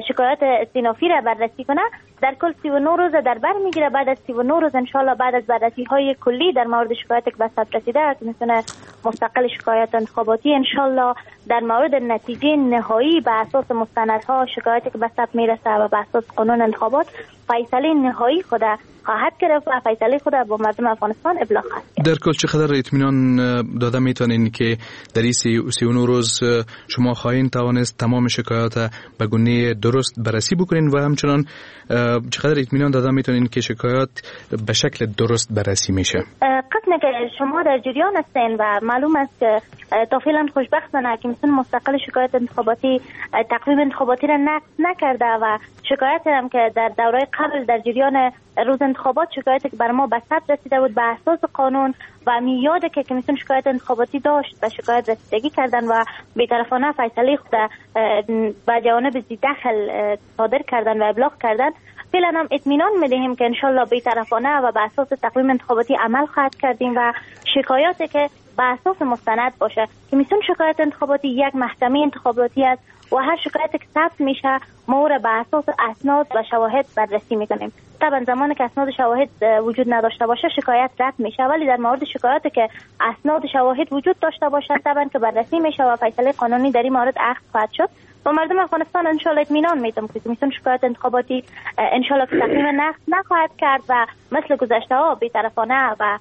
شکایت استینافی را بررسی کنه. در کل سی و نه روز در بر میگیره. بعد از سی و نه روز ان شاء الله بعد از بررسی‌های کلی در مورد شکایت که به ثبت رسیده کمیسیون مستقل شکایت انتخاباتی ان شاء الله در مورد نتیجه نهایی به اساس مستندها شکایتی که به ثبت میرسه و به اساس قانون انتخابات فیصله نهایی خود خواهد گرفت و فیصله خود با مردم افغانستان ابلاغ خواهد کرد. در کل چقدر اطمینان داده میتونین که در این سی و نه روز شما خواهید توانست تمام شکایات به گونه درست بررسی بکنین و همچنان چقدر اطمینان داده میتونین که شکایات به شکل درست بررسی میشه؟ قسمی که شما در جریان هستین و معلوم است که تا فعلا خوشبختانه کمیسیون مستقل شکایات انتخاباتی تقویم انتخاباتی را نقض نکرده و شکایت هم که در دوره قبل در جریان روز انتخابات شکایت که بر ما به ثبت رسیده بود به اساس قانون و میعاد که کمیسیون شکایت انتخاباتی داشت به شکایت رسیدگی کردن و بی‌طرفانه فیصله خود به جوانب ذی‌دخل صادر کردن و ابلاغ کردن. فعلا هم اطمینان میدهیم که انشالله بی‌طرفانه و به اساس تقویم انتخاباتی عمل خواهد کردیم و شکایاتی که به اساس مستند باشه. کمیسیون شکایت انتخاباتی یک محکمه انتخاباتی است و هر شکایتی که ثبت میشه ما او را به اساس اسناد و شواهد بررسی میکنیم. طبعا زمانی که اسناد و شواهد وجود نداشته باشه شکایت رد میشه، ولی در مورد شکایاتی که اسناد و شواهد وجود داشته باشه طبعا که بررسی میشه و فیصله قانونی در این مورد اخذ خواهد شد. با مردم افغانستان ان شاء الله اطمینان میدم که کمیسیون شکایت انتخاباتی ان شاء الله که تقویم نقض نخواهد کرد و مثل گذشته ها بی‌طرفانه و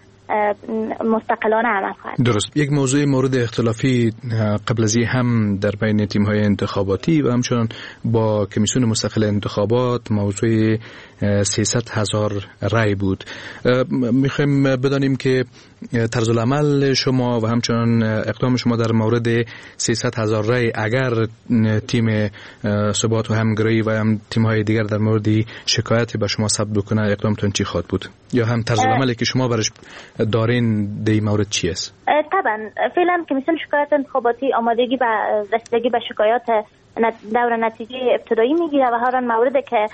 مستقلانه عمل خواهد. درست. یک موضوع مورد اختلافی قبل از هم در بین تیم های انتخاباتی و همچنان با کمیسیون مستقل انتخابات موضوع سیصد هزار رای بود. میخوایم بدانیم که طرز العمل شما و همچنان اقدام شما در مورد سیصد هزار رای اگر تیم ثبات و همگرایی و هم تیم های دیگر در مورد شکایت به شما ثبت بکنه اقدامتون چی خواهد بود یا هم طرز العملی که شما برش دارین در این مورد چی است؟ طبعا فعلا کمیسیون شکایت انتخاباتی آمادگی به رسیدگی به شکایات دور نتیجه ابتدایی میگیره و هر مورد که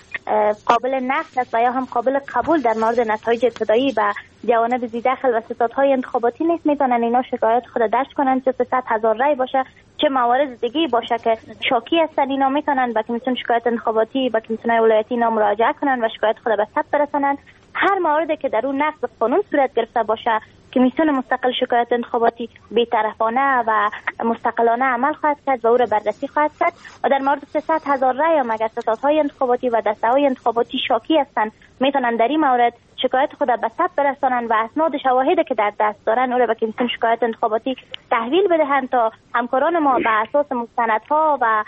قابل نقد است و یا هم قابل قبول در مورد نتایج ابتدایی و جوانب ذی‌دخل و ستادهای انتخاباتی نیست، میتونن اینا شکایت خود درج کنن، چه سیصد هزار رای باشه چه موارد دیگه باشه که شاکی هستن اینا میتونن به کمیسیون شکایت انتخاباتی و کمیسیون ولایتی اینا مراجعه کنن و شکایت خود به ثبت برسانن. هر موردی که در اون نقض قانون صورت گرفته باشه کمیسیون مستقل شکایت انتخاباتی بی‌طرفانه و مستقلانه عمل خواهد کرد و او را بررسی خواهد کرد. و در مورد سیصد هزار رای هم اگر ستادهای انتخاباتی و دسته‌های انتخاباتی شاکی هستند میتونن در این مورد شکایت خود را به ثبت برسانند و اسناد شواهدی که در دست دارن او را به کمیسیون شکایت انتخاباتی تحویل بدهند تا همکاران ما به اساس مستندها و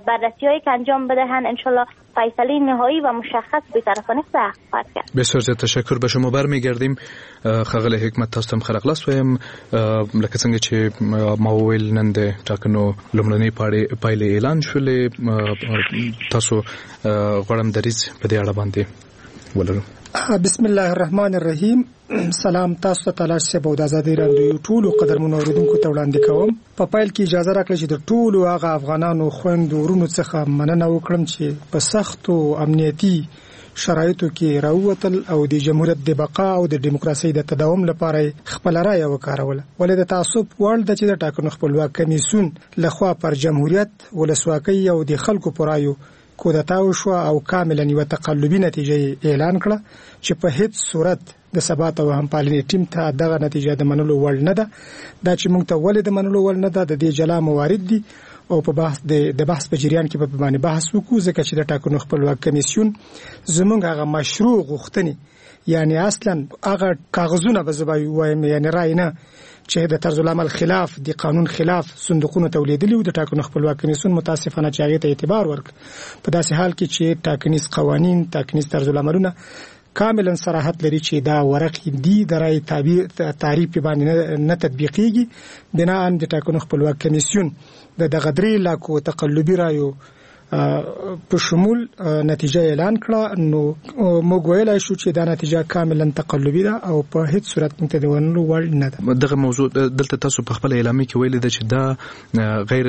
بررسی‌هایی که انجام بدهند انشالله فیصله نهایی و مشخص بی‌طرفانه خواهد کرد. بسیار زیاد تشکر. به شما برمیگردیم. ښاغلی حکمت، تاسو ته هم ښه راغلاست وایم. لکه څنګه چې ما وویل نن د ټاکنو لومړنۍ پایلې اعلان شولې، تاسو غواړم دریځ په دې اړه باندې ولرو. بسم الله الرحمن الرحیم. سلام تاسو ته تلاش صاحب او د ازادي راډیو ټولو قدرمنو اوریدونکو ته وړاندې کوم. په پایل کې اجازه راکړئ چې د ټولو هغه افغانانو خویندو ورونو څخه مننه وکړم چې په سختو امنیتي شرایطو کې راووتل او د جمهوریت د بقا او د دیموکراسۍ د تداوم لپاره خپله رایه وکاروله. ولې د تعصب وړ ده چې د ټاکنو خپلواک کمیسیون لخوا پر جمهوریت، ولسواکۍ او د خلکو پر رایو کودتا وشوه او کاملا یوه تقلبي نتیجه اعلان کړه چې په هیڅ صورت د ثبات او همپالنې ټیم ته دغه نتیجه د منلو وړ نه ده. دا چې موږ ته ولې د منلو وړ نه ده د دې جلا موارد دي او په بحث د بحث په جریان کې په باندې بحث وکړو، ځکه چې د ټاکنو خپلواک کمیسیون زموږ هغه مشروع غوښتنې، یعنی اصلا هغه کاغذونه به زه وایم، یعنی رای نه، چې د طرز العمل خلاف، د قانون خلاف صندوقونو ته ولیدلی او د ټاکنو خپلواک کمیسیون متاسفانه چې هغې ته اعتبار ورکړ، په داسې حال کې چې ټاکنیز قوانین، ټاکنیز طرز العملونه کاملا صراحت لري چې دا ورق دي د رای تعریف باندې نه تطبیقیږي. بناء د ټاکنو خپلواک کمیسیون د دغه درې لاکو تقلبي رایو په شمول نتیجه اعلان کړه، نو موږ ویلای شو چې دا نتیجه کاملا تقلبي ده او په هیڅ صورت موږ ته د منلو وړ نه ده. دغه موضوع دلته تاسو په خپل اعلامیه کې ویلي ده چې دا غیر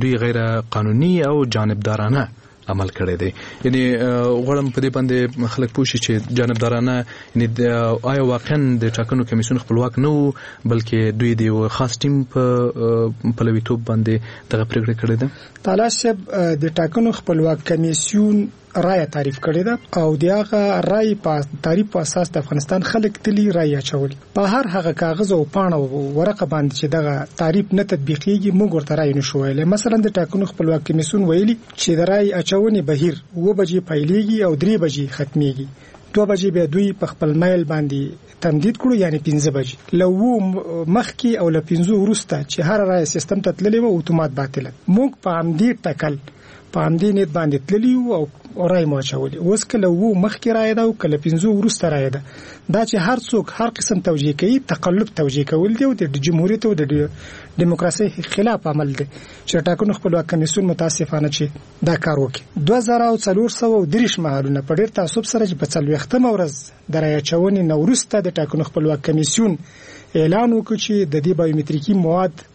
دوی غیر قانوني او جانبدارانه عمل کړی دی. یعنی غواړم په دې باندې خلک پوه شي چې جانبدارانه یعنی آیا واقعا د ټاکنو کمیسیون خپلواک نه و، بلکې دوی د یو خاص ټیم په پلویتوب باندې دغه پرېکړه کړې ده؟ تالاش صاحب، د ټاکنو خپلواک کمیسیون رایه تعریف کړې ده او د هغه رای په تعریف په اساس د افغانستان خلک تلي رای اچولي. په هر هغه کاغذ او پاڼه او ورقه باندې چې دغه تعریف نه تطبیقیږي موږ ورته رای نشو ویلی. مثلا د ټاکنو خپلواک کمیسیون ویلي چې د رای اچونې بهیر اووه بجې پیلیږي او درې بجې ختمیږي. دوه بجې بیا دوی په خپل میل باندې تمدید کړو، یعنی پنځه بجې. له اوو مخکې او له پنځو وروسته چې هره رایه سیستم ته تللې وه اتومات باطله. موږ په همدې ټکل په همدې نیت باندې تللي وو او رایې مو اچولې. اوس که له اوو مخکې رایه ده او که له پنځو وروسته رایه ده، دا چې هر څوک هر قسم توجیه کوي تقلب توجیه کول دي او د جمهوریت او د دیموکراسۍ خلاف عمل دی چې ټاکنو خپلواک کمیسیون متاسفانه چې دا کار وکړي. دوه زره او څلور سوه او دېرش محلونه په ډېر تعصب سره چې په څلوېښتمه ورځ د رایه اچونې نه وروسته د ټاکنو خپلواک کمیسیون اعلان وکړ چې د دې بایومتریکي مواد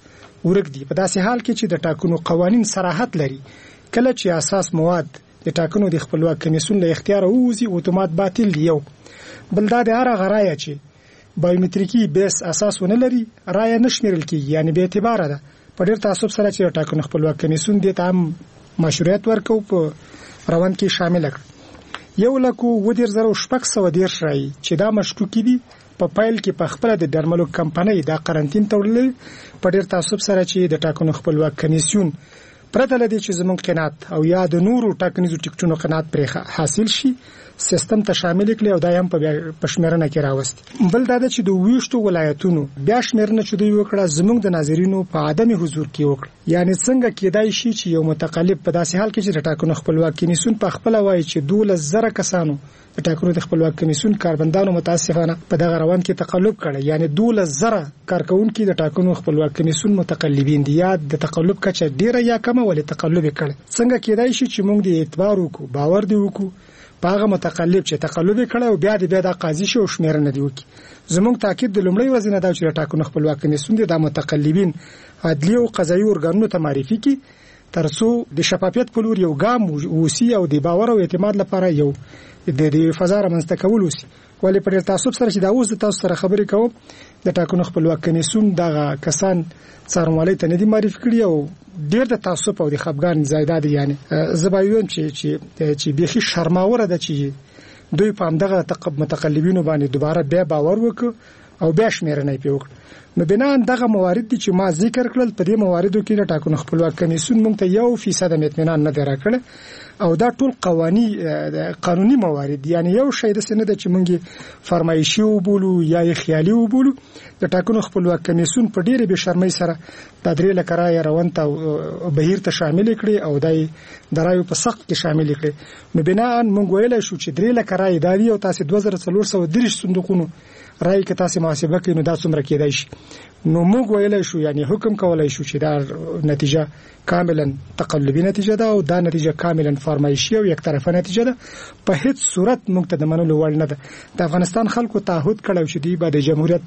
ورک دي، په داسې حال کې چې د ټاکنو قوانین صراحت لري کله چې اساس مواد د ټاکنو د خپلواک کمیسیون له اختیاره ووځي اتومات باطل دی. یو بل دا د هر هغه رایه چې بایومتریکي بیس اساس ونه لري رایه نه شمیرل کیږي، یعنی بې اعتباره ده. په ډېر تعصب سره چې ټاکنو خپلواک کمیسیون دې ته هم مشروعیت ورکړ په روان کې شامل کړ. یو لک اووه دېرش زره او شپږ سوه دېرش رایې چې دا مشکوکې دي په پیل کې په خپله د درملو کمپنۍ دا قرنطین ته وړلې، په ډېر تعصب سره چې د ټاکنو خپلواک کمیسیون پرته له دې چې زموږ قناعت او یا د نورو ټاکنیزو ټکټونو قناعت پرې حاصل شي سیستم ته شامل کړي او دا هم په شمېرنه کې راوستي. بل دا ده چې د اووه ولایتونو بیا شمېرنه چې دوی وکړه زموږ د ناظرینو په عدم حضور کې وکړه. یعنی څنګه کېدای شي چې یو متقلب په داسې حال کې چې د ټاکنو خپلواک کمیسیون په خپله وایي چې دولس زره کسانو د ټاکنو د خپلواک کمیسیون کارمندانو متاسفانه په دغه روان کې تقلب کړی، یعنی دولس زره کارکوونکي د ټاکنو خپلواک کمیسیون متقلبین دي، یا د تقلب کچه ډیره یا کمه ولې تقلب یې کړی. څنګه کېدای شي چې موږ دې اعتبار وکړو، باور دې وکړو په هغه متقلب چې تقلب یې کړی او بیا دې بیا دا قاضي شي او شمېرنه دې وکړي؟ زموږ تاکید د لومړۍ ورځې نه دا چې د ټاکنو خپلواک کمیسیون دې دا متقلبین عدلي او قضایي ارګانونو ته معرفي کړي ترڅو د شفافیت په لور یو ګام ووسي او د باور او اعتماد لپاره یو د دې فضا رامنځته کول وسي. ولې په ډېر تعصب سره چې دا اوس د تاسو سره خبرې کوم د ټاکنو خپلواک کمیسیون دغه کسان څارنوالۍ ته نه دي معرفي کړي او ډېر د تعصب او د خپګان ځای دا دی. یعنی زه به ووایم چې چې چې بیخي شرماوره ده چې دوی په همدغه متقلبینو باندې دوباره بیا باور وکړ او بیا شمېرنه یې پرې وکړه. نو بناً دغه موارد دي چې ما ذکر کړل، په دې مواردو کې د ټاکنو خپلواک کمیسیون موږ ته یو فیصد هم اطمینان نه دی راکړی او دا ټول قواني قانوني موارد دي. یعنی یو شی داسې نه ده چې موږ یې فرمایشي وبولو یا یې خیالي وبولو. د ټاکنو خپلواک کمیسیون په ډېرې بې شرمۍ سره دا درې لکه رایې روان ته بهیر ته شاملې کړې او دا یې د رایو په سقف کې شاملې کړې. نو بناً موږ ویلی شو چې درې لکه رایې دا دي او تاسې دوه زره څلور سوه دېرش صندوقونو رایې که تاسې محاسبه کړئ نو دا څومره کېدای شي. نو موږ ویلی شو، یعنی حکم کولای شو چې دا نتیجه کاملا تقلبي نتیجه ده او دا نتیجه کاملا فرمایشي او یک طرفه نتیجه ده، په هیڅ صورت موږ ته د منلو وړ نه ده. د افغانستان خلکو تعهد کړی چې دوی به د جمهوریت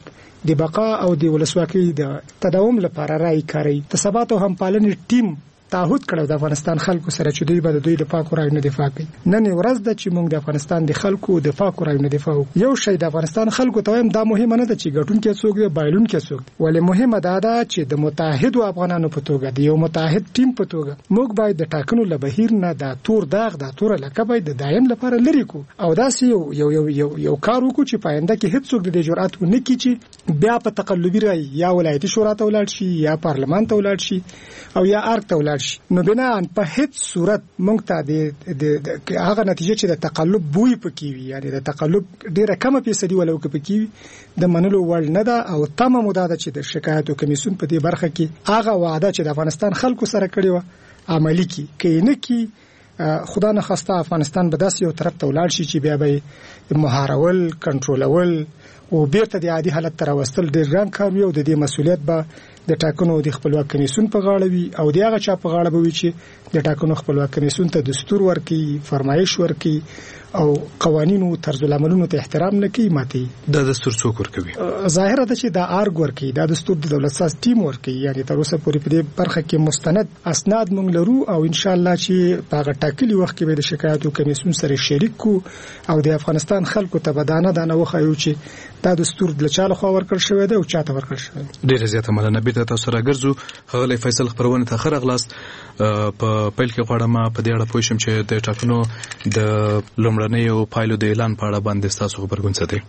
د بقا او د ولسواکۍ د تداوم لپاره رایې کاروي. د ثبات او همپالنې ټیم تعهد کړی د افغانستان خلکو سره چې دوی به د دوی د پاکو رایو نه دفاع کوي. نن ورځ ده چې موږ د افغانستان د خلکو د پاکو رایو نه دفاع وکړو. یو شی د افغانستان خلکو ته وایم، دا مهمه نه ده چې ګټونکی څوک دی بایلونکی څوک دی، ولې مهمه دا ده چې د متحدو افغانانو په توګه، د یو متحد ټیم په توګه موږ باید د ټاکنو له بهیر نه دا تور داغ، دا توره لکه باید د دایم لپاره لرې کړو او داسې یو یو یو یو یو کار وکړو چې په آینده کې هیڅوک د دې جرأت ونه کړي چې بیا په تقلبي رای یا ولایتي شورا ته ولاړ شي یا پارلمان ته ولاړ شي او یا ارګ ته ولاړ شي. نو بناً په هیڅ صورت موږ ته د هغه نتیجه چې د تقلب بوی پکې وي، یعنی د تقلب ډیره کمه فیصدي ولو کې پکې وي، د منلو وړ نه ده. او تمه مو دا ده چې د شکایتو کمیسیون په دې برخه کې هغه وعده چې د افغانستان خلکو سره کړې وه عملي کړي. که یې نه کړي خدا نخواسته افغانستان به داسې یو طرف ته ولاړ شي چې بیا به یې مهارول، کنټرولول او بیرته د عادي حالت ته راوستل ډېر ګران کار وي او د دې مسولیت به د ټاکنو د خپلواک کمیسیون په غاړه وي او د هغه چا په غاړه به وي چې د ټاکنو خپلواک کمیسیون ته دستور ورکړي، فرمایش ورکړي او قوانینو طرز العملونو ته احترام نه کوي، ماتوي. دا دستور څوک ورکوي؟ ظاهره ده چې دا ارګ ورکوي، دا دستور د دولت ساز ټیم ورکوي. یعنی تر اوسه پورې په دې برخه کې مستند اسناد موږ لرو او ان شاء الله چې په هغه ټاکلي وخت کې به د شکایتو کمیسیون سره شریک کړو او د افغانستان خلکو ته به دانه دانه وښایو چې دا دستور له چا لخوا ورکړل شوی دی او چا ته ورکړل شوی دی. ډېره زیاته مننه. بیرته تاسو سره ګرځو. ښاغلی فیصل، خپرونې ته ښه راغلاست. په پیل کې غواړم په دې اړه پوه شم چې د ټاکنو د لومړنیو پایلو د اعلان په اړه باندې ستاسو غبرګون څه دی؟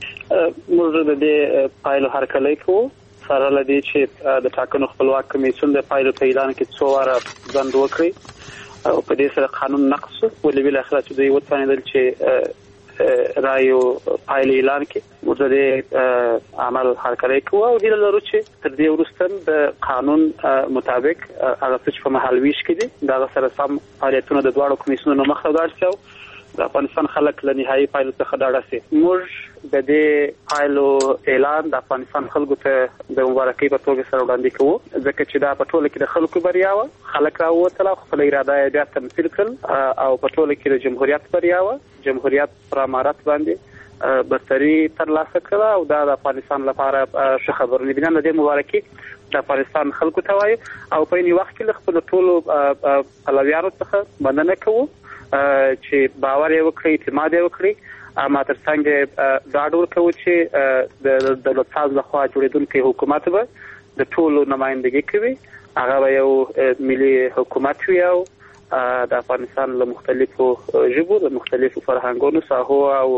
موږ د دې پایلو هرکلی کوو، سره له دې چې د ټاکنو خپلواک کمیسیون د پایلو په اعلان کې څو واره ځنډ وکړي او په دې سره قانون نقض شو، ولې بالاخره چې دوی وتوانېدل چې رایو پایلې اعلان کړي. موږ د دې عمل هرکلی کوو او هیله لرو چې تر دې وروسته د قانون مطابق هغه څه چې په مهالویش کې دي د هغه سره سم فعالیتونه د دواړو کمیسیونونو مخ ته ولاړ شي او د افغانستان خلک له نهایي پایلو څخه ډاډه شي. موږ د دې پایلو اعلان د افغانستان خلکو ته د مبارکۍ په توګه سره وړاندې کوو، ځکه چې دا په ټوله کې د خلکو بریا وه. خلک راووتل او خپله اراده یې بیا تمثیل کړل او په ټوله کې د جمهوریت بریا وه. جمهوریت پر امارت باندې برتري ترلاسه کړه او دا د افغانستان لپاره ښه خبرونه دي. بنا له دې مبارکي د افغانستان خلکو ته وایو او په عین وخت کې له خپلو ټولو پلویانو څخه مننه کوو چې باور یې وکړي، اعتماد یې وکړي. اما تر څنګ ډاډ ورکوو چې د دولت ساز لخوا جوړېدونکی حکومت به د ټولو نمایندګي کوي، هغه به یو ملي حکومت وي او د افغانستان له مختلفو ژبو، له مختلفو فرهنګونو، ساحو او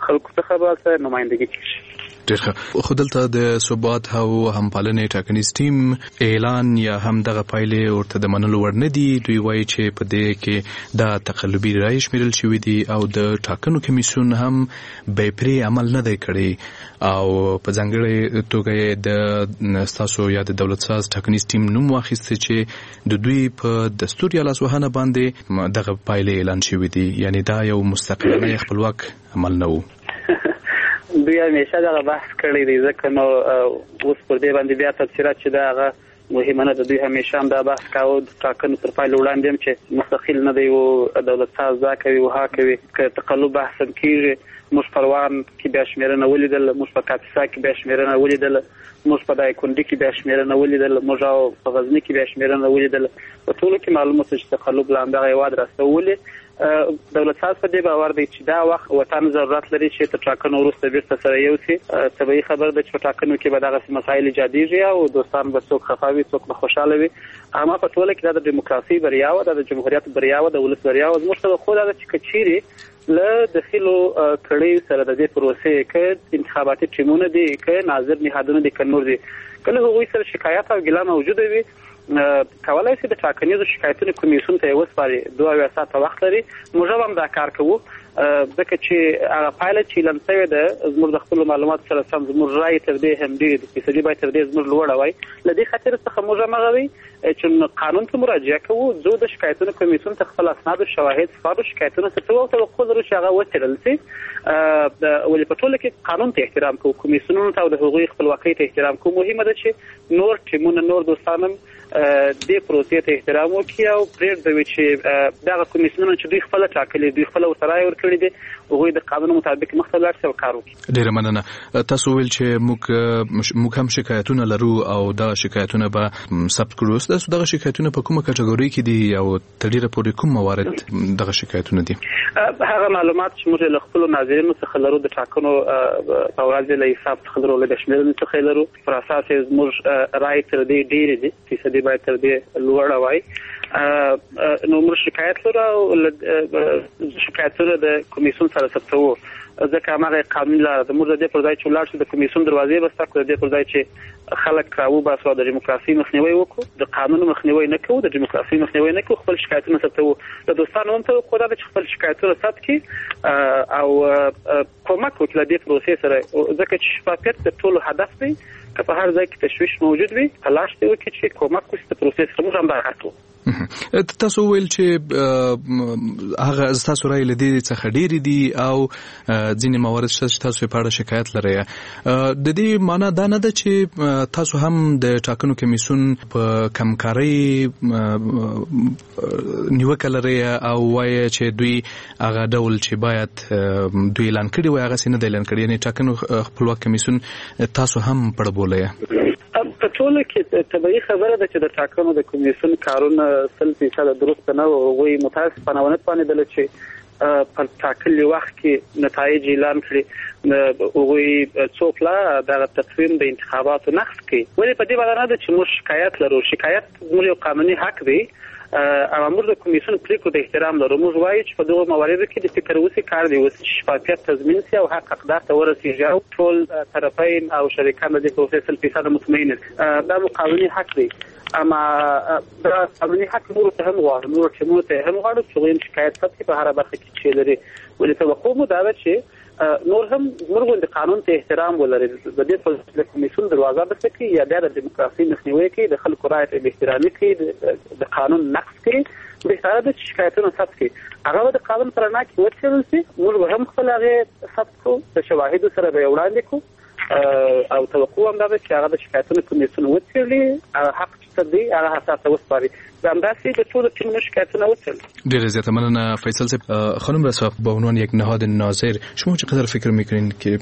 خلکو څخه به نمایندګي کېږي. ډېر ښه. خو دلته د ثبات او همپالنې ټاکنیز ټیم اعلان یا هم دغه پایلې ورته د منلو وړ نه دي. دوی وایي چې په دې کې دا تقلبي رایې شمیرل شوې دي او د ټاکنو کمیسیون هم بې پرې عمل نه دی کړی او په ځانګړې توګه یې د ستاسو یا د دولت ساز ټاکنیز ټیم نوم واخیست چې د دوی په دستور یا لاسوهنه باندې دغه پایلې اعلان شوې دي. یعنی دا یو مستقلانه یا خپلواک عمل نه و. دوی همیشه دغه بحث کړی دی، ځکه نو اوس پر دې باندې بیا تبصره چې دا هغه مهمه نه ده. دوی همیشه هم دا بحث کاوه د ټاکنو تر پایلو وړاندې هم چې مستقل نه دی او دولت ساز دا کوي او ها کوي. که تقلب بحث هم کېږي، موږ پروان کې بیا شمېرنه ولیدله، موږ په کاپیسا کې بیا شمېرنه ولیدله، موږ په دایکنډي کې بیا شمېرنه ولیدله، موږ او په غزني کې بیا شمېرنه ولیدله. په ټولو کې معلومه شوه چې تقلب له همدغه هېواد راستولی. دولت ساز په دې باور دی چې دا وخت وطن ضرورت لري چې تر ټاکنو وروسته بیرته سره یو شي. طبیعي خبره ده چې په ټاکنو کې به دغسې مسایل ایجادېږي او دوستان به څوک خفه وي، څوک به خوشحاله وي. اما په ټوله کې دا د دیموکراسۍ بریا وه، دا د جمهوریت بریا وه، د ولس بریا وه. زموږ توقع دا ده چې که چیرې له دخیلو کړیو سره د دې پروسې که انتخاباتي ټیمونه دي، که ناظر نهادونه دي، که نور دي، که له هغوی سره شکایت او ګیله موجوده وي، کولای شي د ټاکنیزو شکایتونو کمیسیون ته یې وسپاري. دوه اویا ساعته وخت لري. موږ هم دا کار کوو، ځکه چې هغه پایله چې اعلان شوې ده زموږ د خپلو معلوماتو سره سم زموږ رایې تر دې هم ډېرې دي، فیصدي باید تر دې زموږ لوړه وای. له دې خاطر څخه موږ هم هغه وي چې قانون ته مراجعه کوو، ځو د شکایتونو کمیسیون ته خپل اسناد او شواهد سپارو، شکایتونه ثبتوو او توقع لرو چې هغه وڅېړل شي. ولې په ټوله کې قانون ته احترام کوو، کمیسیونونو ته او د هغوی خپلواکۍ ته احترام کوو. مهمه ده چې نور ټیمونه، نور دوستان هم دې پروسې ته احترام وکړي او پرېږدوي چې دغه کمیسیونونه چې دوی خپله ټاکلي، دوی خپله ورته رایه ورکړې دي، هغوی د قانون مطابق مخته لاړ شي او کار وکړي. ډېره مننه. تاسو ویل چې موږ موږ هم شکایتونه لرو او دا شکایتونه به ثبت کړو. تاسو دغه شکایتونه په کومه کټګورۍ کې دي او تر ډېره پورې کوم موارد دغه شکایتونه دي؟ هغه معلومات چې موږ له خپلو ناظرینو څخه لرو، د ټاکنو په ورځ له حساب څخه لرو، له شمېرنې څخه لرو، پر اساس یې زموږ رایې تر دې ډېرې دي، فیصدي باید تر دې لوړه وای. نو موږ شکایت لرو او شکایتونه د کمیسیون سره ثبتوو، ځکه هماغه قانوني لاره ده. موږ د دې پر ځای چې ولاړ شو د کمیسیون دروازې بسته کړو، د دې پر ځای چې خلک راوباسو او د دیموکراسۍ مخنیوی وکړو، د قانون مخنیوی نه کوو، د دیموکراسۍ مخنیوی نه کوو، خپل شکایتونه ثبتوو. له دوستانو هم توقع دا ده چې خپل شکایتونه ثبت کړي او کومک وکړي له دې پروسې سره، ځکه چې شفافیت د ټولو هدف دی. که په هر ځای کې تشویش موجود وي، تلاش دې وکړي چې کومک وشي د پروسې سره. موږ هم دا کار کوو. تاسو ویل چې هغه تاسو رایې له دې څخه ډېرې دي او ځینې موارد شته چې تاسو یې په اړه شکایت لرئ. د دې معنا دا نه ده چې تاسو هم د ټاکنو کمیسیون په کمکارۍ نیوکه لرئ او وایي چې دوی هغه ډول چې باید دوی اعلان کړي وای هغسې نه دی اعلان کړي، یعنې ټاکنو خپلواک کمیسیون تاسو هم پړه بولئ؟ په ټوله کې طبیعي خبره ده چې د ټاکنو د کمیسیون کارونه سل فیصده درست نه وو. هغوی متاسفانه ونه توانېدل چې په ټاکلي وخت کې نتایج اعلان کړي. هغوی څو پلا دغه تقویم د انتخاباتو نقض کړي. ولې په دې باندې نه ده چې موږ شکایت لرو، شکایت زموږ یو قانوني حق دی او موږ د کمیسیون پرېکړو ته احترام لرو. موږ وایو چې په دغو مواردو کې د فکر وسي، کار دې وسي چې شفافیت تضمین شي او حق حقدار ته ورسېږي او ټول طرفین او شریکان د دې پروسې سل فیصده مطمئن دي. دا مو قانوني حق دی. اما دا قانوني حق نورو ته هم غواړو، نورو ټیمونو ته هم غواړو چې هغوی هم شکایت ثبت کړي په هره برخه کې چې لري. ولې توقع مو دا ده چې نور هم زموږ غوندې قانون ته احترام ولري، د دې په د کمیسیون دروازه بسته کړي یا بیا د دیموکراسۍ مخنیوی کوي، د خلکو رایې ته بې احترامي کوي، د قانون نقض کوي، بهتره ده چې شکایتونه ثبت کړي. هغه به د قانون په رڼا کې وڅېړل شي، موږ به هم خپل هغې ثبت کړو، د شواهدو سره به یې وړاندې کړو، او توقع هم دا ده چې هغه د شکایتونو کمیسیون وڅېړي، هغه حق چې څه دی هغه حساب ته وسپاري. همداسې د ټولو ټیمونو شکایتونه وڅېړل. ډېره زیاته مننه فیصل صاحب. خانم رسا، با عنوان یک نهاد ناظر شما چقدر فکر میکنین که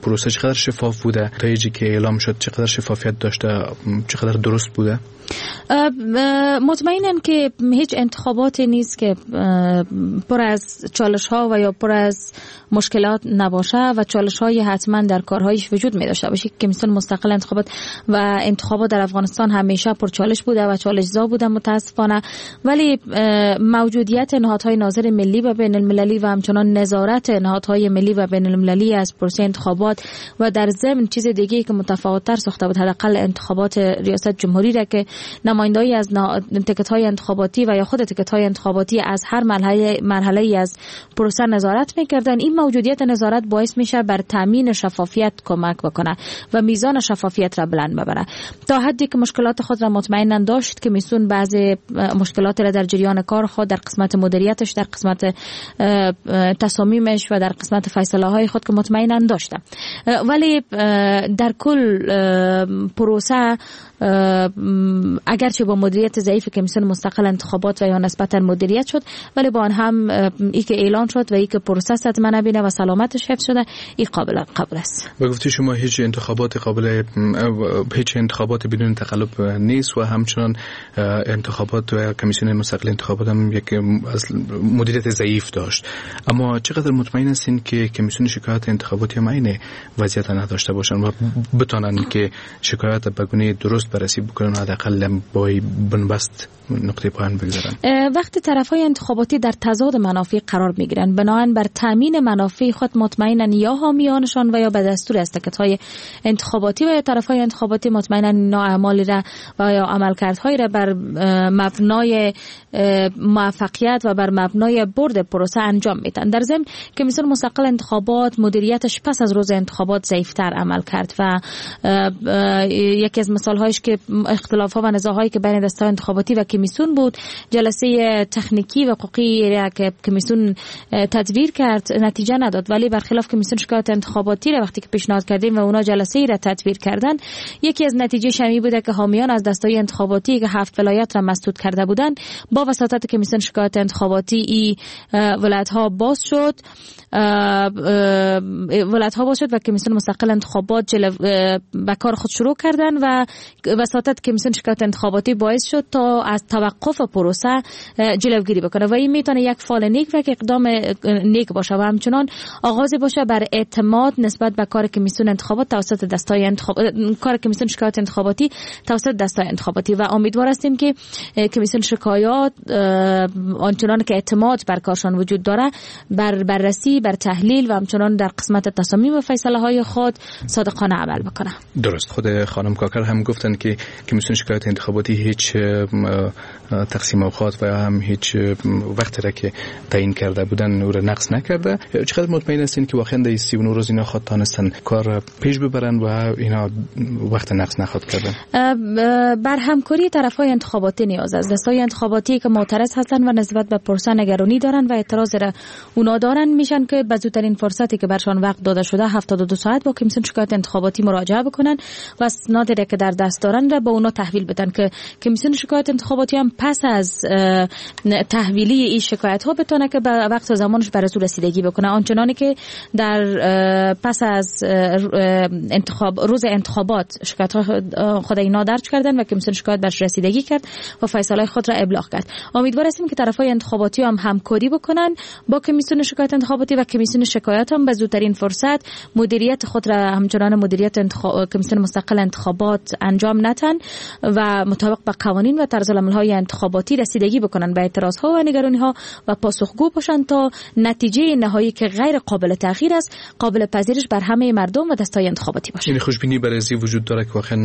پروسه چقدر شفاف بوده، نتایجی که اعلام شد چقدر شفافیت داشته، چقدر درست بوده؟ مطمئنم که هیچ انتخاباتی نیست که پر از چالش ها و یا پر از مشکلات نباشه و چالش های حتما در کارهایش وجود می داشته باشه. کمیسیون مستقل انتخابات و انتخابات در افغانستان همیشه پر چالش بوده و چالش زا بوده متاسفانه، ولی موجودیت نهادهای ناظر ملی و بین المللی و همچنان نظارت نهادهای ملی و بین المللی از پروسه انتخابات و در ضمن چیز دیگه که متفاوت‌تر ساخته بود حداقل انتخابات ریاست جمهوری را که نماینده‌ای از تکت‌های انتخاباتی و یا خود تکت‌های انتخاباتی از هر مرحله مرحله‌ای از پروسه نظارت می‌کردن، این موجودیت نظارت باعث میشه بر تامین شفافیت کمک بکنه و میزان شفافیت را بلند ببره تا حدی که مشکلات خود را مطمئنا داشت. کمیسیون بعضی مشکلات را در جریان کار خود در قسمت مدیریتش، در قسمت تصامیمش و در قسمت فیصله های خود که مطمئنا داشته، ولی در کل پروسه اگرچه با مدیریت ضعیف کمیسیون مستقل انتخابات و یا نسبتا مدیریت شد، ولی با آن هم ای که اعلان شد و ای که پروسه صدمه نبینه و سلامتش حفظ شده، ای قابل قبول است. به گفته شما هیچ انتخابات قابل هیچ انتخابات بدون تقلب نیست و همچنان انتخابات و کمیسیون مستقل انتخابات هم یک مدیریت ضعیف داشت، اما چقدر مطمئن هستین که کمیسیون شکایت انتخاباتی هم عین وضعیت نداشته باشن و بتونن که شکایت به گونه درست بررسی بکنن و حداقل با بنبست نقطه پایان بگذارن؟ وقتی طرف‌های انتخاباتی در تضاد منافع قرار میگیرن، بنابراین بر تامین منافع خود مطمئنا یا حامیانشان و یا به دستور از تکت‌های انتخاباتی و یا طرف‌های انتخاباتی مطمئنا اینا اعمالی را و یا عملکردهایی را بر مبنای موفقیت و بر مبنای برد پروسه انجام میدن. در ضمن کمیسیون مستقل انتخابات مدیریتش پس از روز انتخابات ضعیف‌تر عمل کرد و یکی از مثال‌هایش که اختلاف‌ها و نزاع‌هایی که بین دسته‌های انتخاباتی و کمیسیون بود، جلسه تکنیکی و حقوقی را که کمیسیون تدبیر کرد نتیجه نداد، ولی برخلاف کمیسیون شکایت انتخاباتی را وقتی که پیشنهاد کردیم و اونا جلسه ای را تدبیر کردن، یکی از نتیجه شمی بوده که حامیان از دسته‌های انتخاباتی که هفت ولایت را مسدود کرده بودند، با وساطت کمیسیون شکایت انتخاباتی ای ولایت ها باز شد، ولایت ها باز شد و کمیسیون مستقل انتخابات جلو به کار خود شروع کردن و وساطت کمیسیون شکایت انتخاباتی باعث شد تا از توقف پروسه جلوگیری بکنه و این میتونه یک فال نیک و یک اقدام نیک باشه و همچنان آغاز باشه بر اعتماد نسبت به کار کمیسیون انتخابات توسط دستای انتخاب کار کمیسیون شکایت انتخاباتی توسط دستای انتخاباتی و امیدوار هستیم که کمیسیون شکایات آنچنان که اعتماد بر کارشان وجود داره بر بررسی، بر تحلیل و همچنان در قسمت تصامیم و فیصله های خود صادقانه عمل بکنه. درست. خود خانم کاکر هم گفتن که کمیسیون شکایت انتخاباتی هیچ تقسیم اوقات و هم هیچ وقتی را که تعیین کرده بودن او را نقص نکرده. چقدر مطمئن هستین که واقعا در سی و نه روز اینا خود تانستن کار پیش ببرن و اینا وقت نقص نخواد کردن؟ بر همکاری طرف‌های انتخاباتی نیاز است. دستای انتخاباتی که معترض هستن و نسبت به پرسه نگرانی دارن و اعتراض را اونا دارن، میشن که به زودترین فرصتی که برشان وقت داده شده هفتاد و دو ساعت با کمیسیون شکایت انتخاباتی مراجعه بکنن و اسنادی را که در دست دارن را به اونا تحویل بدن که کمیسیون شکایت انتخاباتی هم پس از تحویلی این شکایت ها بتونه که به وقت و زمانش بر از رسیدگی بکنه. آنچنانی که در پس از انتخاب روز انتخابات شکایت ها خود اینا درج کردن و کمیسیون شکایت برش رسیدگی کرد و فیصله خود را ابلاغ کرد. امیدوار هستیم که طرف‌های انتخاباتی هم همکاری بکنن با کمیسیون شکایت انتخاباتی و کمیسیون شکایت هم به زودترین فرصت مدیریت خود را همچنان مدیریت انتخاب... کمیسیون مستقل انتخابات انجام ندن و مطابق با قوانین و طرز العمل‌های انتخاباتی رسیدگی بکنن به اعتراض ها و نگرانی ها و پاسخگو باشند تا نتیجه نهایی که غیر قابل تغییر است قابل پذیرش بر همه مردم و دستای انتخاباتی باشه. یعنی خوشبینی برای از وجود داره که واقعا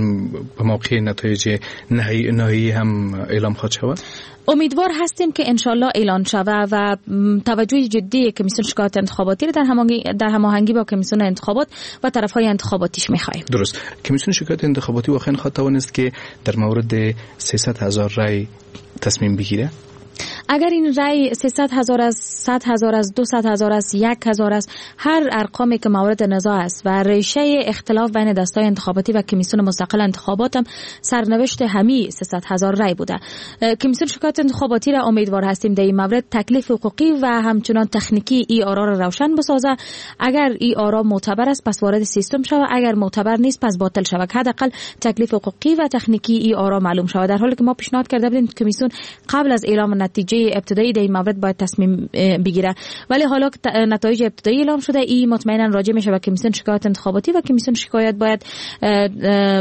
به موقع نتایج نهایی نهایی هم اعلام خواهد شود؟ امیدوار هستیم که انشالله اعلان شود و توجه جدی کمیسیون شکایت انتخاباتی رو در هماهنگی در هماهنگی با کمیسیون انتخابات و طرف‌های انتخاباتیش می‌خوایم. درست. کمیسیون شکایت انتخاباتی واقعا خواهد توانست که در مورد سیصد هزار رای تصمیم بگیره؟ اگر این رای سیصد هزار از صد هزار از دویست هزار از یک هزار است، هر ارقامی که مورد نزاع است و ریشه اختلاف بین دستای انتخاباتی و کمیسیون مستقل انتخابات هم سرنوشت همی سیصد هزار رای بوده. کمیسیون شکایت انتخاباتی را امیدوار هستیم در این مورد تکلیف حقوقی و همچنان تکنیکی ای آرا را روشن بسازه. اگر ای آرا معتبر است پس وارد سیستم شود، اگر معتبر نیست پس باطل شود. حداقل تکلیف حقوقی و تکنیکی ای آرا معلوم شود. در حالی که ما پیشنهاد کرده بودیم کمیسیون قبل از اعلام نتیجه ابتدایی در این مورد باید تصمیم بگیره، ولی حالا که نتایج ابتدایی اعلام شده ای مطمئنا راجع میشه به کمیسیون شکایت انتخاباتی و کمیسیون شکایت باید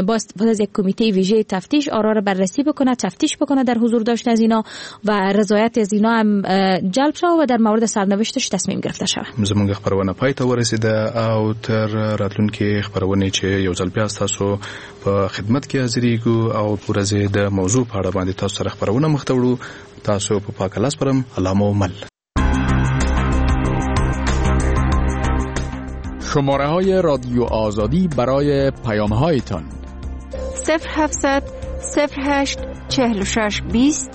با استفاده از یک کمیته ویژه تفتیش آرا را بررسی بکنه، تفتیش بکنه در حضور داشت از اینا و رضایت از اینا هم جلب شود و در مورد سرنوشتش تصمیم گرفته شود. زموږ خبرونه پای ته ورسیده او تر راتلونکي خبرونه چې یو ځل بیا تاسو په خدمت کې حاضرېږو او ورځې د موضوع په اړه باندې تاسو سره خبرونه مخته وړو. تاسو په پاک الله سپارم. الله مو مل. شماره های رادیو آزادی برای پیام هایتان: صفر هفتصد صفر هشت چهل و شش بیست،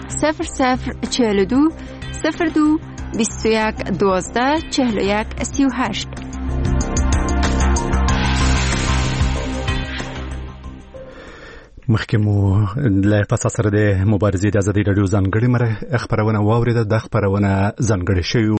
صفر صفر چهل و دو صفر دو بیست و یک دوازده چهل و یک سی و هشت. مخکې مو له فساد سره د مبارزې د ازادي راډیو ځانګړې خپرونه واورېده. دا خپرونه ځانګړې شوې